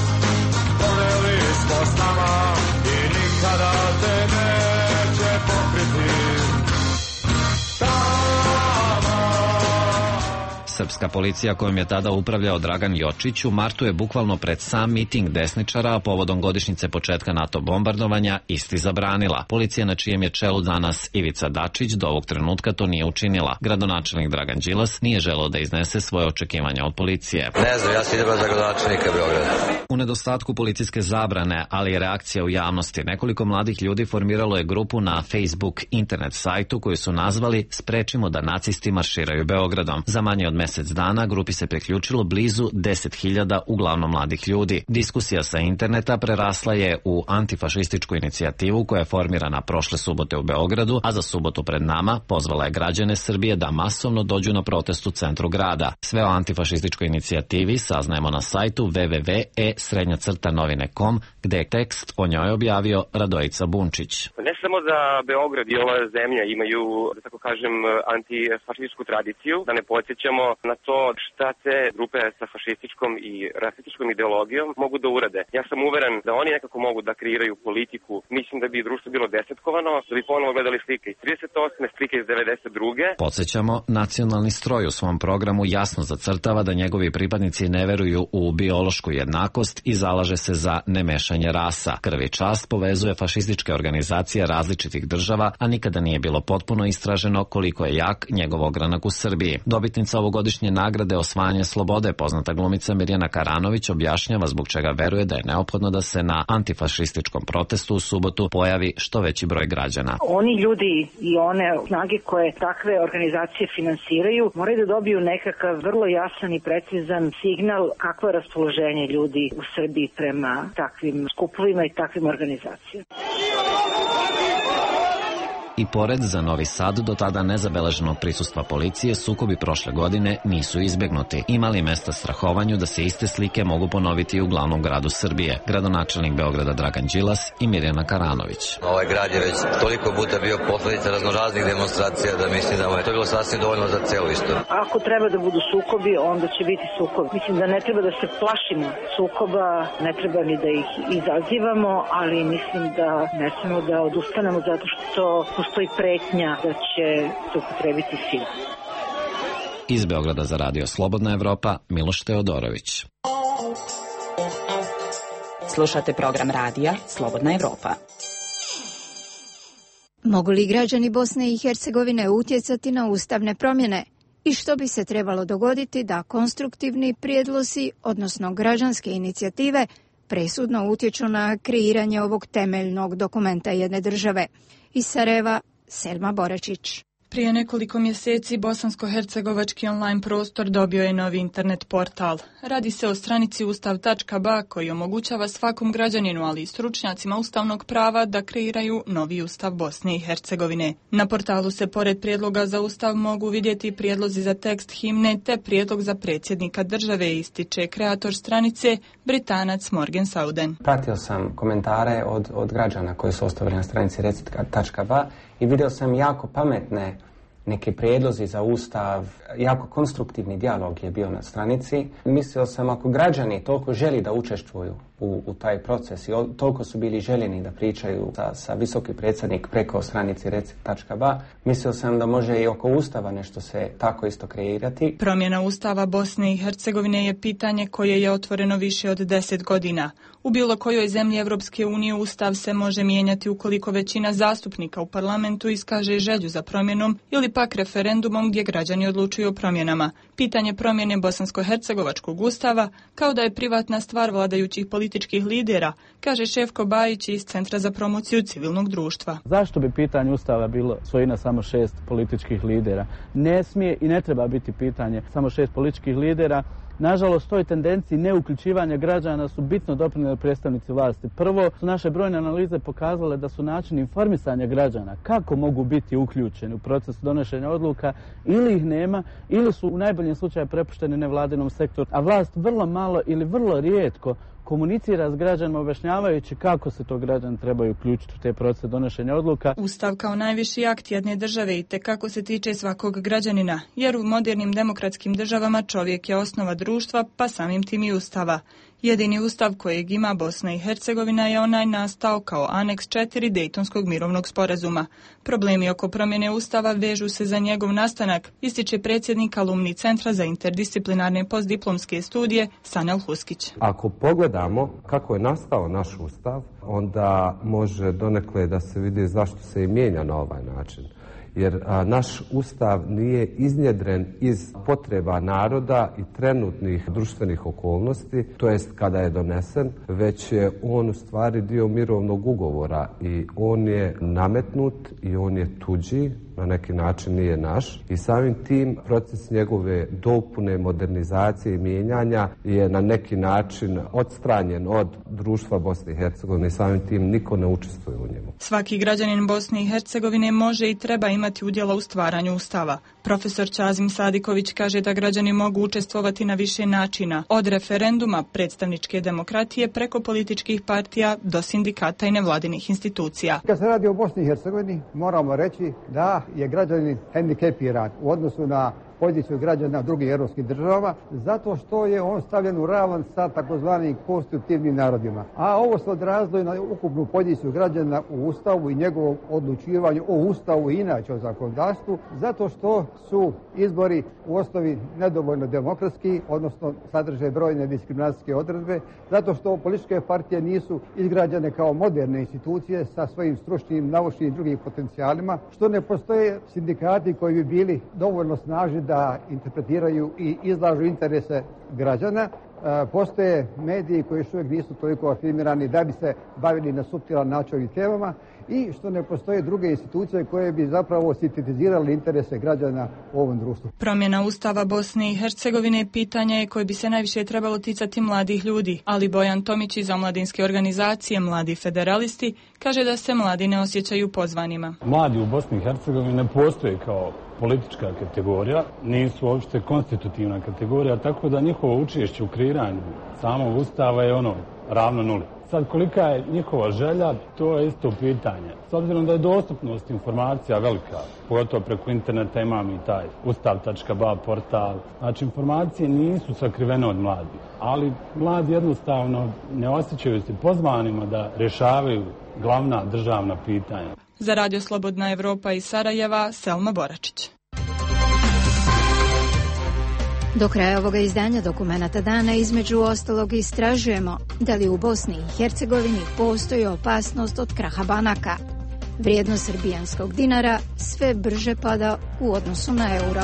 poveli smo s nama i nikada te neće pokriti. Srpska policija kojom je tada upravljao Dragan Jočić u martu je bukvalno pred sam miting desničara, a povodom godišnjice početka NATO bombardovanja, isti zabranila. Policija na čijem je čelu danas Ivica Dačić do ovog trenutka to nije učinila. Gradonačelnik Dragan Đilas nije želeo da iznese svoje očekivanja od policije. Ne znam, ja sam idem za gradonačelnika Beograda. U nedostatku policijske zabrane, ali i reakcija u javnosti, nekoliko mladih ljudi formiralo je grupu na Facebook internet sajtu koju su nazvali Sprečimo da nacisti marširaju Beogradom. Za manje od mesec dana grupi se priključilo blizu 10.000 uglavnom mladih ljudi. Diskusija sa interneta prerasla je u antifašističku inicijativu koja je formirana prošle subote u Beogradu, a za subotu pred nama pozvala je građane Srbije da masovno dođu na protest u centru grada. Sve o antifašističkoj inicijativi saznajemo na sajtu www.e-novine.com, gde je tekst o njoj objavio Radojica Bunčić. Ne samo da Beograd i ova zemlja imaju, da tako kažem, antifašističku tradiciju, da ne podsjećamo na to šta te grupe sa fašističkom i rasističkom ideologijom mogu da urade. Ja sam uveren da oni nekako mogu da kreiraju politiku. Mislim da bi društvo bilo desetkovano, da bi ponovo gledali slike iz 38. slike iz 92. Podsjećamo, Nacionalni stroj u svom programu jasno zacrtava da njegovi pripadnici ne veruju u biološku jednakost i zalaže se za nemešanje rasa. Krv i čast povezuje fašističke organizacije različitih država, a nikada nije bilo potpuno istraženo koliko je jak njegov ogranak u Srbiji. Dobitnica ovogodišnje nagrade Osvajanje slobode, poznata glumica Mirjana Karanović, objašnjava zbog čega veruje da je neophodno da se na antifašističkom protestu u subotu pojavi što veći broj građana. Oni ljudi i one snage koje takve organizacije finansiraju moraju da dobiju nekakav vrlo jasan i precizan signal kakvo je raspoloženje ljudi u Srbiji prema takvim skupovima i takvim organizacijama. I pored za Novi Sad do tada nezabeleženog prisustva policije, sukobi prošle godine nisu izbjegnuti. Imali mesta strahovanju da se iste slike mogu ponoviti u glavnom gradu Srbije. Gradonačelnik Beograda Dragan Đilas i Mirjana Karanović. Ovaj grad je već toliko puta bio posledica raznoraznih demonstracija da mislim da mu je to bilo sasvim dovoljno za celu istoriju. Ako treba da budu sukobi, onda će biti sukob. Mislim da ne treba da se plašimo sukoba, ne treba ni da ih izazivamo, ali mislim da ne smemo da odustanemo zato što postoji pretnja da će se upotrebiti sila. Iz Beograda za Radio Slobodna Evropa, Miloš Teodorović. Slušate program radija Slobodna Evropa. Mogu li građani Bosne i Hercegovine utjecati na ustavne promjene? I što bi se trebalo dogoditi da konstruktivni prijedlozi, odnosno građanske inicijative, presudno utječu na kreiranje ovog temeljnog dokumenta jedne države? Iz Sarajeva, Selma Boračić. Prije nekoliko mjeseci bosansko-hercegovački online prostor dobio je novi internet portal. Radi se o stranici ustav.ba koji omogućava svakom građaninu, ali i stručnjacima ustavnog prava da kreiraju novi ustav Bosne i Hercegovine. Na portalu se pored prijedloga za ustav mogu vidjeti prijedlozi za tekst himne te prijedlog za predsjednika države, ističe kreator stranice Britanac Morgan Sauden. Pratio sam komentare od građana koji su ostavili na stranici recit.ba i vidio sam jako pametne neke prijedlozi za ustav, jako konstruktivni dijalog je bio na stranici. Mislio sam ako građani toliko želi da učestvuju u taj proces i toliko su bili željeni da pričaju sa visoki predsjednik preko stranici recit.ba, mislio sam da može i oko ustava nešto se tako isto kreirati. Promjena ustava Bosne i Hercegovine je pitanje koje je otvoreno više od 10 godina. U bilo kojoj zemlji Europske unije ustav se može mijenjati ukoliko većina zastupnika u parlamentu iskaže želju za promjenom ili pak referendumom gdje građani odlučuju o promjenama. Pitanje promjene bosansko-hercegovačkog ustava kao da je privatna stvar vladajućih političkih lidera, kaže Šefko Bajić iz Centra za promociju civilnog društva. Zašto bi pitanje ustava bilo svojina samo 6 političkih lidera? Ne smije i ne treba biti pitanje samo 6 političkih lidera. Nažalost, toj tendenciji neuključivanja građana su bitno doprinijeli predstavnici vlasti. Prvo su naše brojne analize pokazale da su načini informisanja građana kako mogu biti uključeni u proces donošenja odluka ili ih nema ili su u najboljem slučaju prepušteni nevladinom sektoru, a vlast vrlo malo ili vrlo rijetko komunicira s građanima objašnjavajući kako se to građani trebaju uključiti u te procese donošenja odluka. Ustav kao najviši akt jedne države i tekako se tiče svakog građanina, jer u modernim demokratskim državama čovjek je osnova društva, pa samim tim i ustava. Jedini ustav kojeg ima Bosna i Hercegovina je onaj nastao kao aneks 4 Dejtonskog mirovnog sporazuma. Problemi oko promjene ustava vežu se za njegov nastanak, ističe predsjednik alumni Centra za interdisciplinarne postdiplomske studije Sanel Huskić. Ako pogledamo kako je nastao naš ustav, onda može donekle da se vidi zašto se i mijenja na ovaj način. Jer naš ustav nije iznjedren iz potreba naroda i trenutnih društvenih okolnosti, to jest kada je donesen, već je on u stvari dio mirovnog ugovora i on je nametnut i on je tuđi, na neki način nije naš i samim tim proces njegove dopune, modernizacije i mijenjanja je na neki način odstranjen od društva Bosne i Hercegovine i samim tim niko ne učestvuje u njemu. Svaki građanin Bosne i Hercegovine može i treba imati udjela u stvaranju ustava. Profesor Čazim Sadiković kaže da građani mogu učestvovati na više načina, od referenduma, predstavničke demokratije preko političkih partija do sindikata i nevladinih institucija. Kad se radi o Bosni i Hercegovini, moramo reći da je građanin hendikepiran u odnosu na poziciju građana drugih europskih država, zato što je on stavljen u ravan sa takozvanim konstitutivnim narodima. A ovo se odrazilo na ukupnu poziciju građana u Ustavu i njegovom odlučivanju o Ustavu i inače o zakonodavstvu, zato što su izbori u osnovi nedovoljno demokratski, odnosno sadrže brojne diskriminacijske odredbe, zato što političke partije nisu izgrađene kao moderne institucije sa svojim stručnim, naučnim i drugim potencijalima, što ne postoje sindikati koji bi bili dovoljno snažni da interpretiraju i izlažu interese građana. Postoje mediji koji još uvijek nisu toliko afirmirani da bi se bavili na suptilan način ovim temama i što ne postoje druge institucije koje bi zapravo sintetizirali interese građana u ovom društvu. Promjena Ustava Bosne i Hercegovine pitanje je koje bi se najviše trebalo ticati mladih ljudi, ali Bojan Tomić iz omladinske organizacije Mladi federalisti kaže da se mladi ne osjećaju pozvanima. Mladi u Bosni i Hercegovini ne postoje kao politička kategorija, nisu uopšte konstitutivna kategorija, tako da njihovo učešće u kreiranju samog ustava je ravno nuli. Sad, kolika je njihova želja, to je isto pitanje. S obzirom da je dostupnost informacija velika, pogotovo preko interneta imam i taj ustav.ba portal, znači informacije nisu sakrivene od mladih, ali mladi jednostavno ne osjećaju se pozvanima da rješavaju glavna državna pitanja. Za Radio Slobodna Evropa iz Sarajeva, Selma Boračić. Do kraja ovoga izdanja Dokumenata dana između ostalog istražujemo da li u Bosni i Hercegovini postoji opasnost od kraha banaka. Vrijednost srbijanskog dinara sve brže pada u odnosu na euro.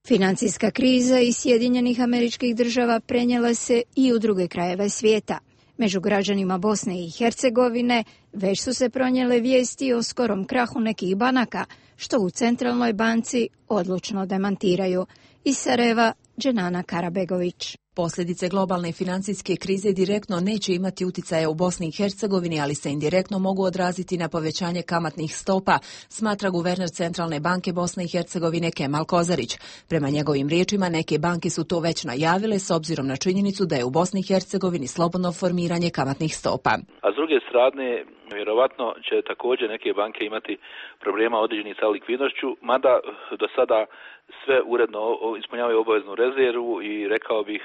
Financijska kriza iz Sjedinjenih Američkih Država prenijela se i u druge krajeve svijeta. Među građanima Bosne i Hercegovine već su se pronijele vijesti o skorom krahu nekih banaka, što u Centralnoj banci odlučno demantiraju. Iz Sarajeva, Dženana Karabegović. Posljedice globalne financijske krize direktno neće imati uticaja u Bosni i Hercegovini, ali se indirektno mogu odraziti na povećanje kamatnih stopa, smatra guverner Centralne banke Bosne i Hercegovine Kemal Kozarić. Prema njegovim riječima, neke banke su to već najavile s obzirom na činjenicu da je u Bosni i Hercegovini slobodno formiranje kamatnih stopa. A s druge strane, vjerovatno će također neke banke imati problema određenih sa likvidnošću, mada do sada sve uredno ispunjavaju obaveznu rezervu i rekao bih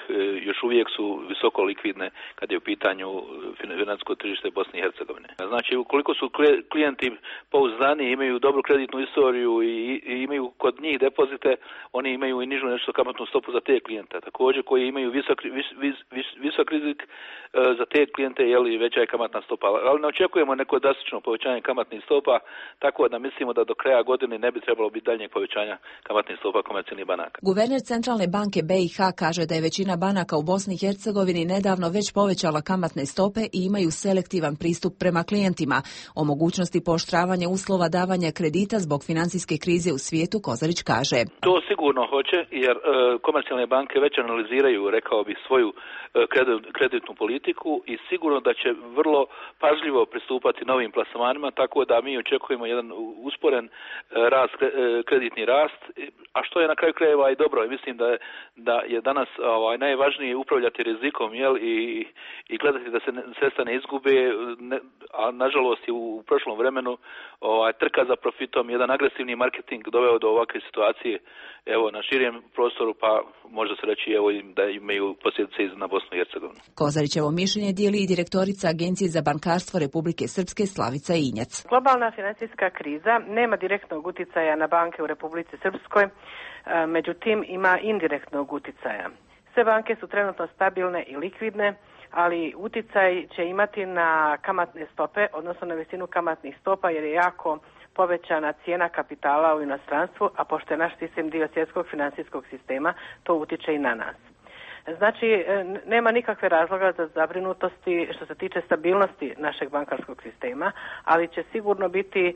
još uvijek su visoko likvidne kad je u pitanju financijsko tržište Bosne i Hercegovine. Znači, ukoliko su klijenti pouzdani, imaju dobru kreditnu istoriju i imaju kod njih depozite, oni imaju i nižu nešto kamatnu stopu za te klijente. Također koji imaju visok rizik za te klijente, veća je kamatna stopa. Ali ne očekujemo neko drastično povećanje kamatnih stopa, tako da mislimo da do kraja godine ne bi trebalo biti daljnjeg povećanja kamatnih stopa komercijalnih banaka. Guverner Centralne banke BiH kaže da je većina banaka u Bosni i Hercegovini nedavno već povećala kamatne stope i imaju selektivan pristup prema klijentima. O mogućnosti pooštravanja uslova davanja kredita zbog financijske krize u svijetu Kozarić kaže: To sigurno hoće, jer komercijalne banke već analiziraju, rekao bih, svoju kreditnu politiku i sigurno da će vrlo pažljivo pristupati novim plasmanima, tako da mi očekujemo jedan usporen kreditni rast, a što je na kraju krajeva i dobro. Mislim da je danas najvažnije upravljati rizikom i gledati da se sredstva ne izgube, a nažalost je u prošlom vremenu trka za profitom, jedan agresivni marketing doveo do ovakve situacije na širem prostoru, pa može se reći da imaju posljedice na Bosnu i Hercegovinu. Kozarićevo mišljenje dijeli i direktorica Agencije za bankarstvo Republike Srpske Slavica Injac. Globalna financijska kriza nema direktnog uticaja na banke u Republici Srpskoj, međutim ima indirektnog uticaja. Sve banke su trenutno stabilne i likvidne, ali uticaj će imati na kamatne stope, odnosno na visinu kamatnih stopa, jer je jako povećana cijena kapitala u inostranstvu, a pošto je naš sistem dio svjetskog financijskog sistema, to utiče i na nas. Znači, nema nikakve razloga za zabrinutosti što se tiče stabilnosti našeg bankarskog sistema, ali će sigurno biti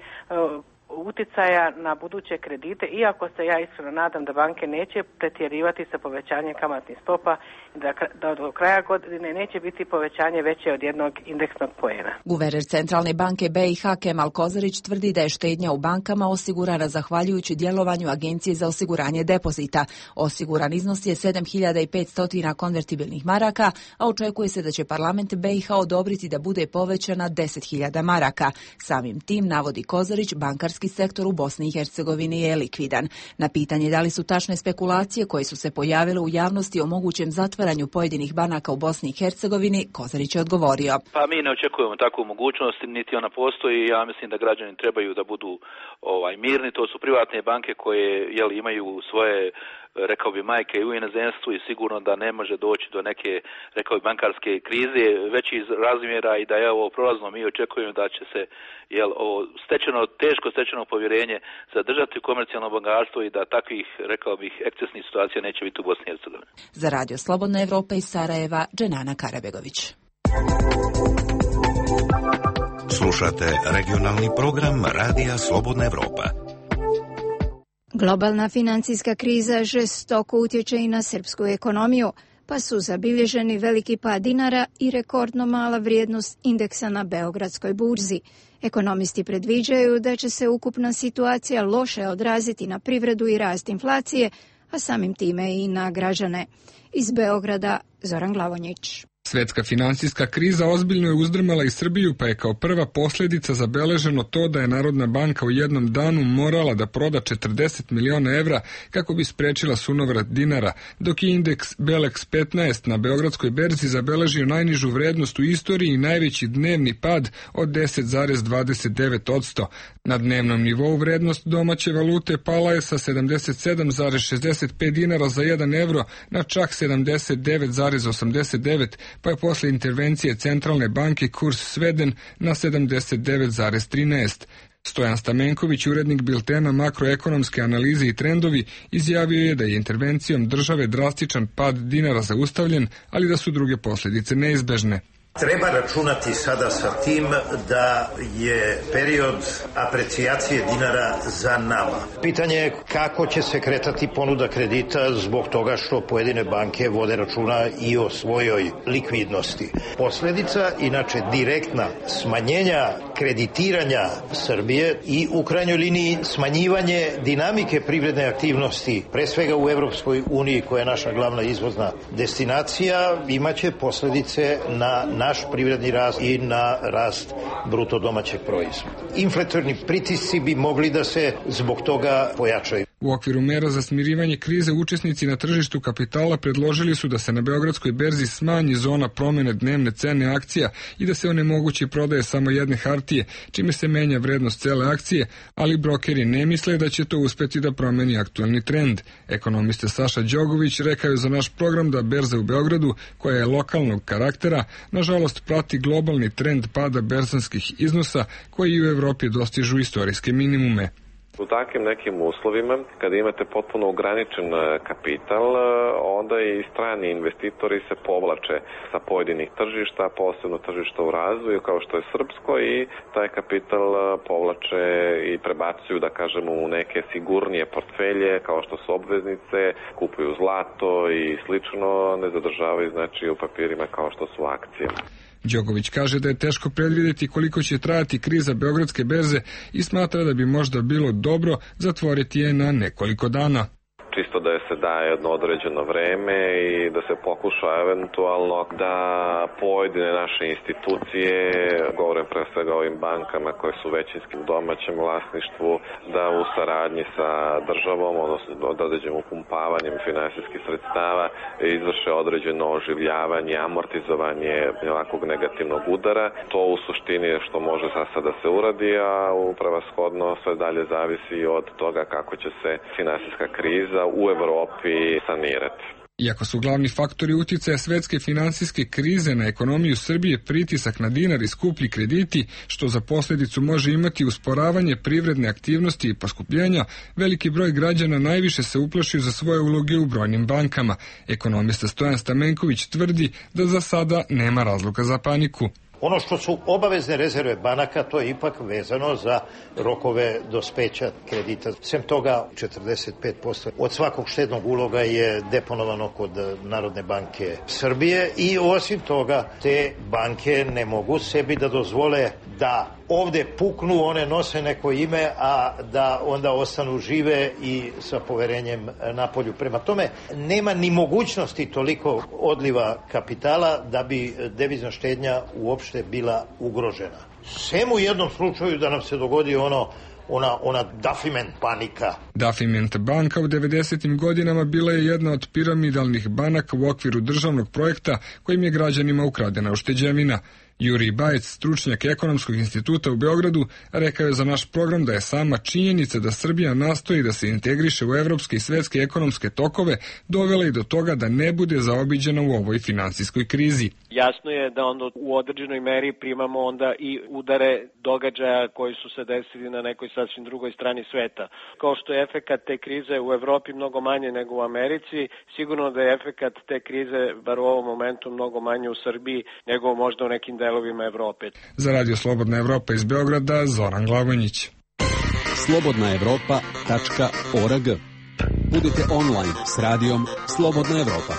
uticaja na buduće kredite, iako se ja iskreno nadam da banke neće pretjerivati sa povećanjem kamatnih stopa i da do kraja godine neće biti povećanje veće od jednog indeksnog poena. Guverner Centralne banke BiH Kemal Kozarić tvrdi da je štednja u bankama osigurana zahvaljujući djelovanju Agencije za osiguranje depozita. Osiguran iznos je 7.500 konvertibilnih maraka, a očekuje se da će parlament BiH odobriti da bude povećana 10.000 maraka. Samim tim, navodi Kozarić, bankarski sektor u Bosni i Hercegovini je likvidan. Na pitanje da li su tačne spekulacije koje su se pojavile u javnosti o mogućem zatvaranju pojedinih banaka u Bosni i Hercegovini, Kozarić je odgovorio: Pa mi ne očekujemo takvu mogućnost, niti ona postoji. Ja mislim da građani trebaju da budu mirni. To su privatne banke koje imaju svoje, rekao bi, majke u inozemstvu i sigurno da ne može doći do neke, rekao bi, bankarske krize većih razmjera i da je ovo prolazno. Mi očekujemo da će se ovo teško stečeno povjerenje zadržati u komercijalno bankarstvo i da takvih, rekao bih, ekscesnih situacija neće biti u Bosni i Hercegovini. Za Radio Slobodna Evropa iz Sarajeva, Dženana Karabegović. Slušate regionalni program Radija Slobodna Evropa. Globalna financijska kriza žestoko utječe i na srpsku ekonomiju, pa su zabilježeni veliki pad dinara i rekordno mala vrijednost indeksa na Beogradskoj burzi. Ekonomisti predviđaju da će se ukupna situacija loše odraziti na privredu i rast inflacije, a samim time i na građane. Iz Beograda, Zoran Glavonjić. Svjetska financijska kriza ozbiljno je uzdrmala i Srbiju, pa je kao prva posljedica zabeleženo to da je Narodna banka u jednom danu morala da proda 40 miliona evra kako bi sprečila sunovrat dinara, dok je indeks Belex 15 na Beogradskoj berzi zabeležio najnižu vrednost u istoriji i najveći dnevni pad od 10,29%. Na dnevnom nivou vrednost domaće valute pala je sa 77,65 dinara za 1 evro na čak 79,89, pa je posle intervencije Centralne banke kurs sveden na 79,13. Stojan Stamenković, urednik biltena Makroekonomske analize i trendovi, izjavio je da je intervencijom države drastičan pad dinara zaustavljen, ali da su druge posljedice neizbežne. Treba računati sada sa tim da je period aprecijacije dinara za nama. Pitanje je kako će se kretati ponuda kredita zbog toga što pojedine banke vode računa i o svojoj likvidnosti. Posljedica, inače direktna, smanjenja kreditiranja Srbije i u krajnjoj liniji smanjivanje dinamike privredne aktivnosti, pre svega u Evropskoj uniji koja je naša glavna izvozna destinacija, imaće posljedice na naš privredni rast i na rast bruto domaćeg proizvoda. Inflatorni pritisci bi mogli da se zbog toga pojačaju. U okviru mera za smirivanje krize učesnici na tržištu kapitala predložili su da se na Beogradskoj berzi smanji zona promjene dnevne cene akcija i da se onemogući prodaje samo jedne hartije, čime se menja vrednost cele akcije, ali brokeri ne misle da će to uspeti da promeni aktualni trend. Ekonomista Saša Đogović rekao je za naš program da berza u Beogradu, koja je lokalnog karaktera, nažalost prati globalni trend pada berzanskih iznosa koji u Evropi dostižu istorijske minimume. U takvim nekim uslovima, kada imate potpuno ograničen kapital, onda i strani investitori se povlače sa pojedinih tržišta, posebno tržišta u razvoju kao što je srpsko, i taj kapital povlače i prebacuju, da kažemo, u neke sigurnije portfelje kao što su obveznice, kupuju zlato i slično, ne zadržavaju znači u papirima kao što su akcije. Đogović kaže da je teško predvidjeti koliko će trajati kriza Beogradske berze i smatra da bi možda bilo dobro zatvoriti je na nekoliko dana. Čisto da se daje jedno određeno vreme i da se pokuša eventualno da pojedine naše institucije, govorim pre svega o ovim bankama koje su većinskim domaćem vlasništvu, da u saradnji sa državom, odnosno određenim upumpavanjem finansijskih sredstava, izvrše određeno oživljavanje, amortizovanje ovakvog negativnog udara. To u suštini je što može sada da se uradi, a prevashodno sve dalje zavisi od toga kako će se finansijska kriza u Evropi sanirati. Iako su glavni faktori uticaja svetske finansijske krize na ekonomiju Srbije pritisak na dinar i skuplji krediti, što za posljedicu može imati usporavanje privredne aktivnosti i poskupljenja, veliki broj građana najviše se uplašio za svoje uloge u brojnim bankama. Ekonomista Stojan Stamenković tvrdi da za sada nema razloga za paniku. Ono što su obavezne rezerve banaka, to je ipak vezano za rokove dospeća kredita. Sem toga, 45% od svakog štednog uloga je deponovano kod Narodne banke Srbije i osim toga te banke ne mogu sebi da dozvole da ovde puknu, one nose neko ime, a da onda ostanu žive i sa poverenjem napolju. Prema tome, nema ni mogućnosti toliko odliva kapitala da bi devizna štednja uopšte bila ugrožena. Sem u jednom slučaju da nam se dogodi ona Dafiment panika. Dafiment banka u 90. godinama bila je jedna od piramidalnih banaka u okviru državnog projekta kojim je građanima ukradena ušteđevina. Jurij Bajec, stručnjak Ekonomskog instituta u Beogradu, rekao je za naš program da je sama činjenica da Srbija nastoji da se integriše u evropske i svetske ekonomske tokove dovela i do toga da ne bude zaobiđena u ovoj finansijskoj krizi. Jasno je da onda u određenoj meri primamo onda i udare događaja koji su se desili na nekoj sasvim drugoj strani sveta. Kao što je efekat te krize u Evropi mnogo manje nego u Americi, sigurno da je efekat te krize, bar u ovom momentu, mnogo manje u Srbiji nego možda u nekim delovima Evrope. Za Radio Slobodna Evropa iz Beograda, Zoran Glavonjić. slobodnaevropa.org. Budite online s radijom Slobodna Evropa.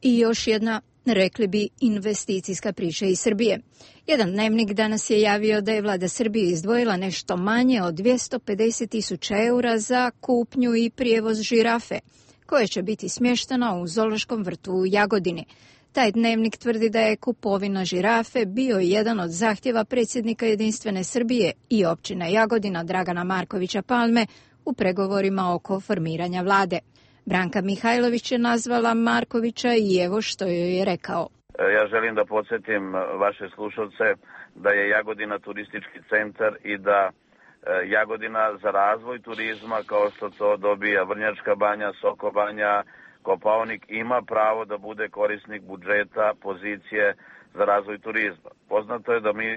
I još jedna, rekli bi, investicijska priča iz Srbije. Jedan dnevnik danas je javio da je vlada Srbije izdvojila nešto manje od 250.000 eura za kupnju i prijevoz žirafe, koje će biti smještena u zoološkom vrtu u Jagodini. Taj dnevnik tvrdi da je kupovina žirafe bio jedan od zahtjeva predsjednika Jedinstvene Srbije i općine Jagodina Dragana Markovića Palme u pregovorima oko formiranja vlade. Branka Mihajlović je nazvala Markovića i evo što joj je rekao. Ja želim da podsjetim vaše slušalce da je Jagodina turistički centar i da Jagodina za razvoj turizma, kao što to dobija Vrnjačka banja, Soko banja, Kopaonik, ima pravo da bude korisnik budžeta, pozicije za razvoj turizma. Poznato je da mi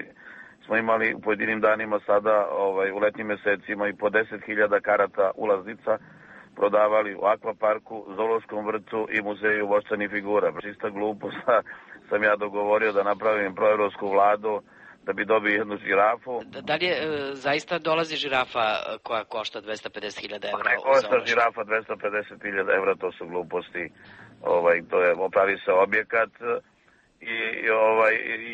smo imali u pojedinim danima sada u letnjim mesecima i po 10.000 karata ulaznica prodavali u akvaparku, zoološkom vrtu i muzeju voštanih figura. Čista glupost sam ja dogovorio da napravim proevropsku vladu da bi dobio jednu žirafu. Da li je zaista dolazi žirafa koja košta 250.000 evra? Ne košta žirafa 250.000 evra, to su gluposti. To je, opravi se objekat i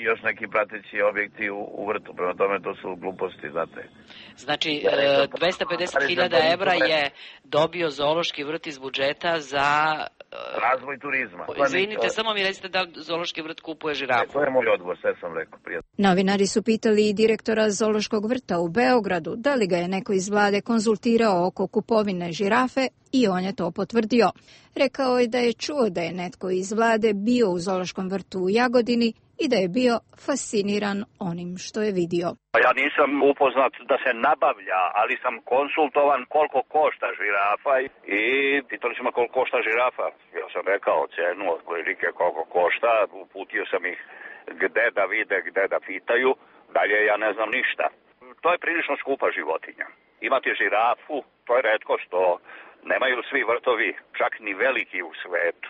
još neki prateći objekti u vrtu. Prema tome to su gluposti, znate. Znači, 250.000 evra je dobio zoološki vrt iz budžeta za razvoj turizma. Izvinite, samo mi recite da zoološki vrt kupuje žirafu. To je moj odgovor, sve sam rekao prije. Novinari su pitali i direktora zoološkog vrta u Beogradu da li ga je neko iz vlade konzultirao oko kupovine žirafe i on je to potvrdio. Rekao je da je čuo da je netko iz vlade bio u zoološkom vrtu u Jagodini i da je bio fasciniran onim što je vidio. Ja nisam upoznat da se nabavlja, ali sam konsultovan koliko košta žirafa i pitali su me koliko košta žirafa. Ja sam rekao cenu otprilike koliko košta, uputio sam ih gde da vide, gde da pitaju, dalje ja ne znam ništa. To je prilično skupa životinja. Imati žirafu, to je retko što nemaju svi vrtovi, čak ni veliki u svetu.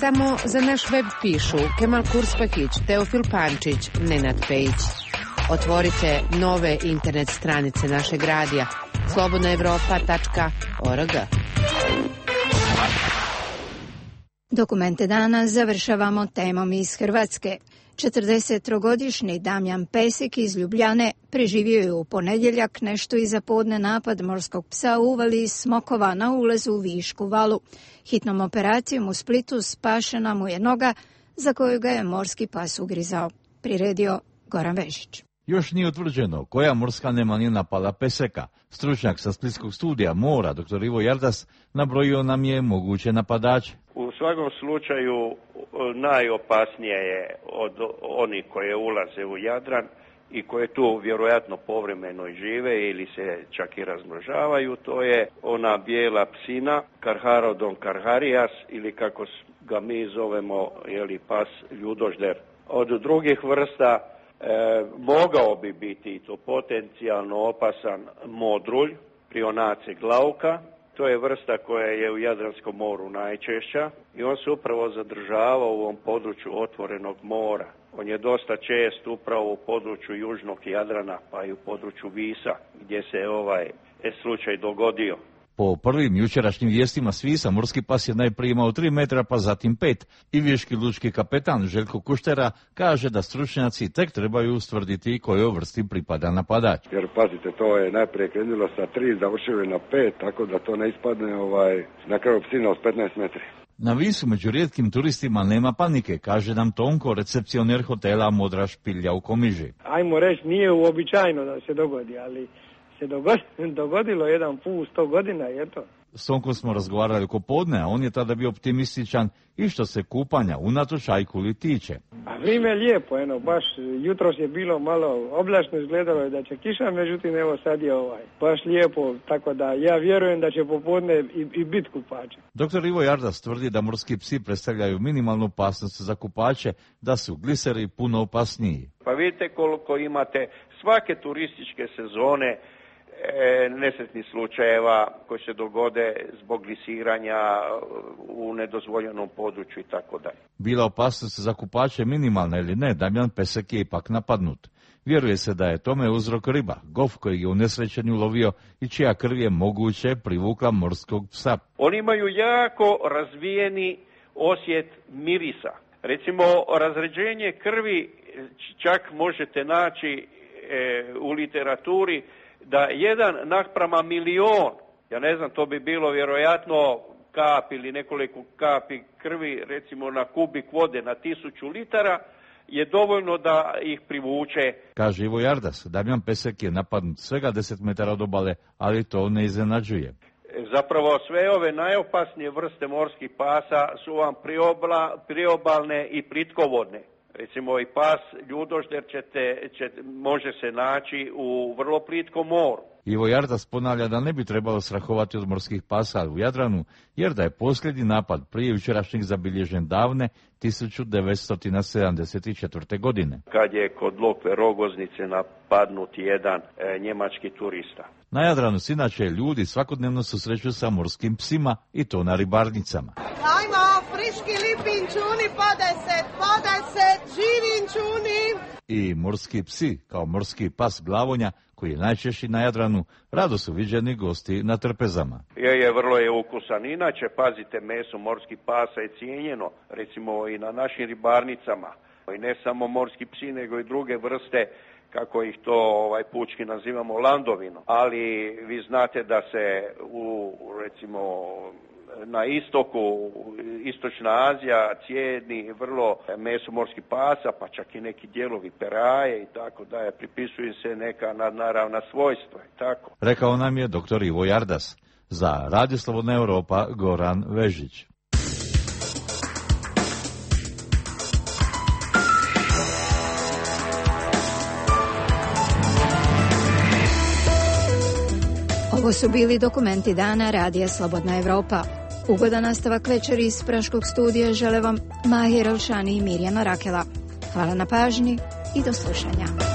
Samo za naš web pišu Kemal Kurspakić, Teofil Pančić, Nenad Pejić. Otvorite nove internet stranice našeg radija slobodnaevropa.org. Dokumente dana završavamo temom iz Hrvatske. 43-godišnji Damjan Pesik iz Ljubljane preživio je u ponedjeljak nešto iza podne napad morskog psa u uvali Smokova na ulazu u Višku valu. Hitnom operacijom u Splitu spašena mu je noga za koju ga je morski pas ugrizao. Priredio Goran Vežić. Još nije utvrđeno koja morska nemanija napala Peseka. Stručnjak sa Splitskog studija mora, dr. Ivo Jardas, nabrojio nam je moguće napadače. U svakom slučaju najopasnije je od onih koje ulaze u Jadran i koje tu vjerojatno povremeno i žive ili se čak i razmnožavaju, to je ona bijela psina Carcharodon carcharias ili kako ga mi zovemo pas ljudožder. Od drugih vrsta mogao bi biti to potencijalno opasan modrulj, Prionace glauca. To je vrsta koja je u Jadranskom moru najčešća i on se upravo zadržava u ovom području otvorenog mora. On je dosta čest upravo u području južnog Jadrana pa i u području Visa gdje se slučaj dogodio. Po prvim jučerašnjim vijestima s Visa morski pas je najprije imao 3 metra pa zatim 5. I viški lučki kapetan Željko Kuštera kaže da stručnjaci tek trebaju ustvrditi kojoj vrsti pripada napadač. Jer pazite, to je najprije krenulo sa 3, završilo je na 5, tako da to ne ispadne na kraju psina od 15 metri. Na Visu među rijetkim turistima nema panike, kaže nam Tonko, recepcioner hotela Modra špilja u Komiži. Ajmo reći, nije uobičajeno da se dogodi, ali se dogodilo jedan put 100 godina i eto. S Tonkom smo razgovarali oko podne, a on je tada bio optimističan i što se kupanja unatoč ajkuli tiče. A vrijeme je lijepo, baš jutros je bilo malo oblačno, izgledalo je da će kiša, međutim evo sad je baš lijepo, tako da ja vjerujem da će popodne i biti kupače. Dr. Ivo Jardas tvrdi da morski psi predstavljaju minimalnu opasnost za kupače, da su gliseri puno opasniji. Pa vidite koliko imate svake turističke sezone nesretnih slučajeva koji se dogode zbog glisiranja u nedozvoljenom području i tako dalje. Bila opasnost za kupače minimalna ili ne, Damjan Pesek je ipak napadnut. Vjeruje se da je tome uzrok riba, gof koji je u nesrećenju lovio i čija krv je moguće privukla morskog psa. Oni imaju jako razvijeni osjet mirisa. Recimo, razređenje krvi čak možete naći u literaturi da 1:1.000.000, ja ne znam, to bi bilo vjerojatno kap ili nekoliko kapi krvi, recimo na kubik vode na 1000 litara, je dovoljno da ih privuče. Kaže Ivo Jardas, Damjan Pesek je napadnut svega 10 metara od obale, ali to ne iznenađuje. Zapravo sve ove najopasnije vrste morskih pasa su vam priobalne i plitkovodne. Recimo i pas ljudožder može se naći u vrlo plitkom moru. Ivo Jardas ponavlja da ne bi trebalo strahovati od morskih pasa u Jadranu, jer da je posljednji napad prije jučerašnjeg zabilježen davne 1974. godine. Kad je kod Lokve Rogoznice napadnut jedan njemački turista. Na Jadranu se inače ljudi svakodnevno susreću sa morskim psima i to na ribarnicama. Ajmo, friški lipin čuni, podaj se, živin čuni. I morski psi, kao morski pas Glavonja, koji je najčešći na Jadranu, rado su viđeni gosti na trpezama. Vrlo je ukusan. Inače, pazite, meso morskih pasa je cijenjeno, recimo i na našim ribarnicama. I ne samo morski psi, nego i druge vrste, kako ih to pučki nazivamo, landovino. Ali vi znate da se recimo na istoku, Istočna Azija cijeni vrlo meso morskih pasa, pa čak i neki dijelovi peraje i tako da je, pripisuju se neka nadnaravna svojstva i tako. Rekao nam je dr. Ivo Jardas. Za Radio Slobodna Europa, Goran Vežić. Ovo su bili dokumenti dana Radija Slobodna Evropa. Ugodan nastavak večeri iz Praškog studija žele vam Mahir Elšani i Mirjana Rakela. Hvala na pažnji i do slušanja.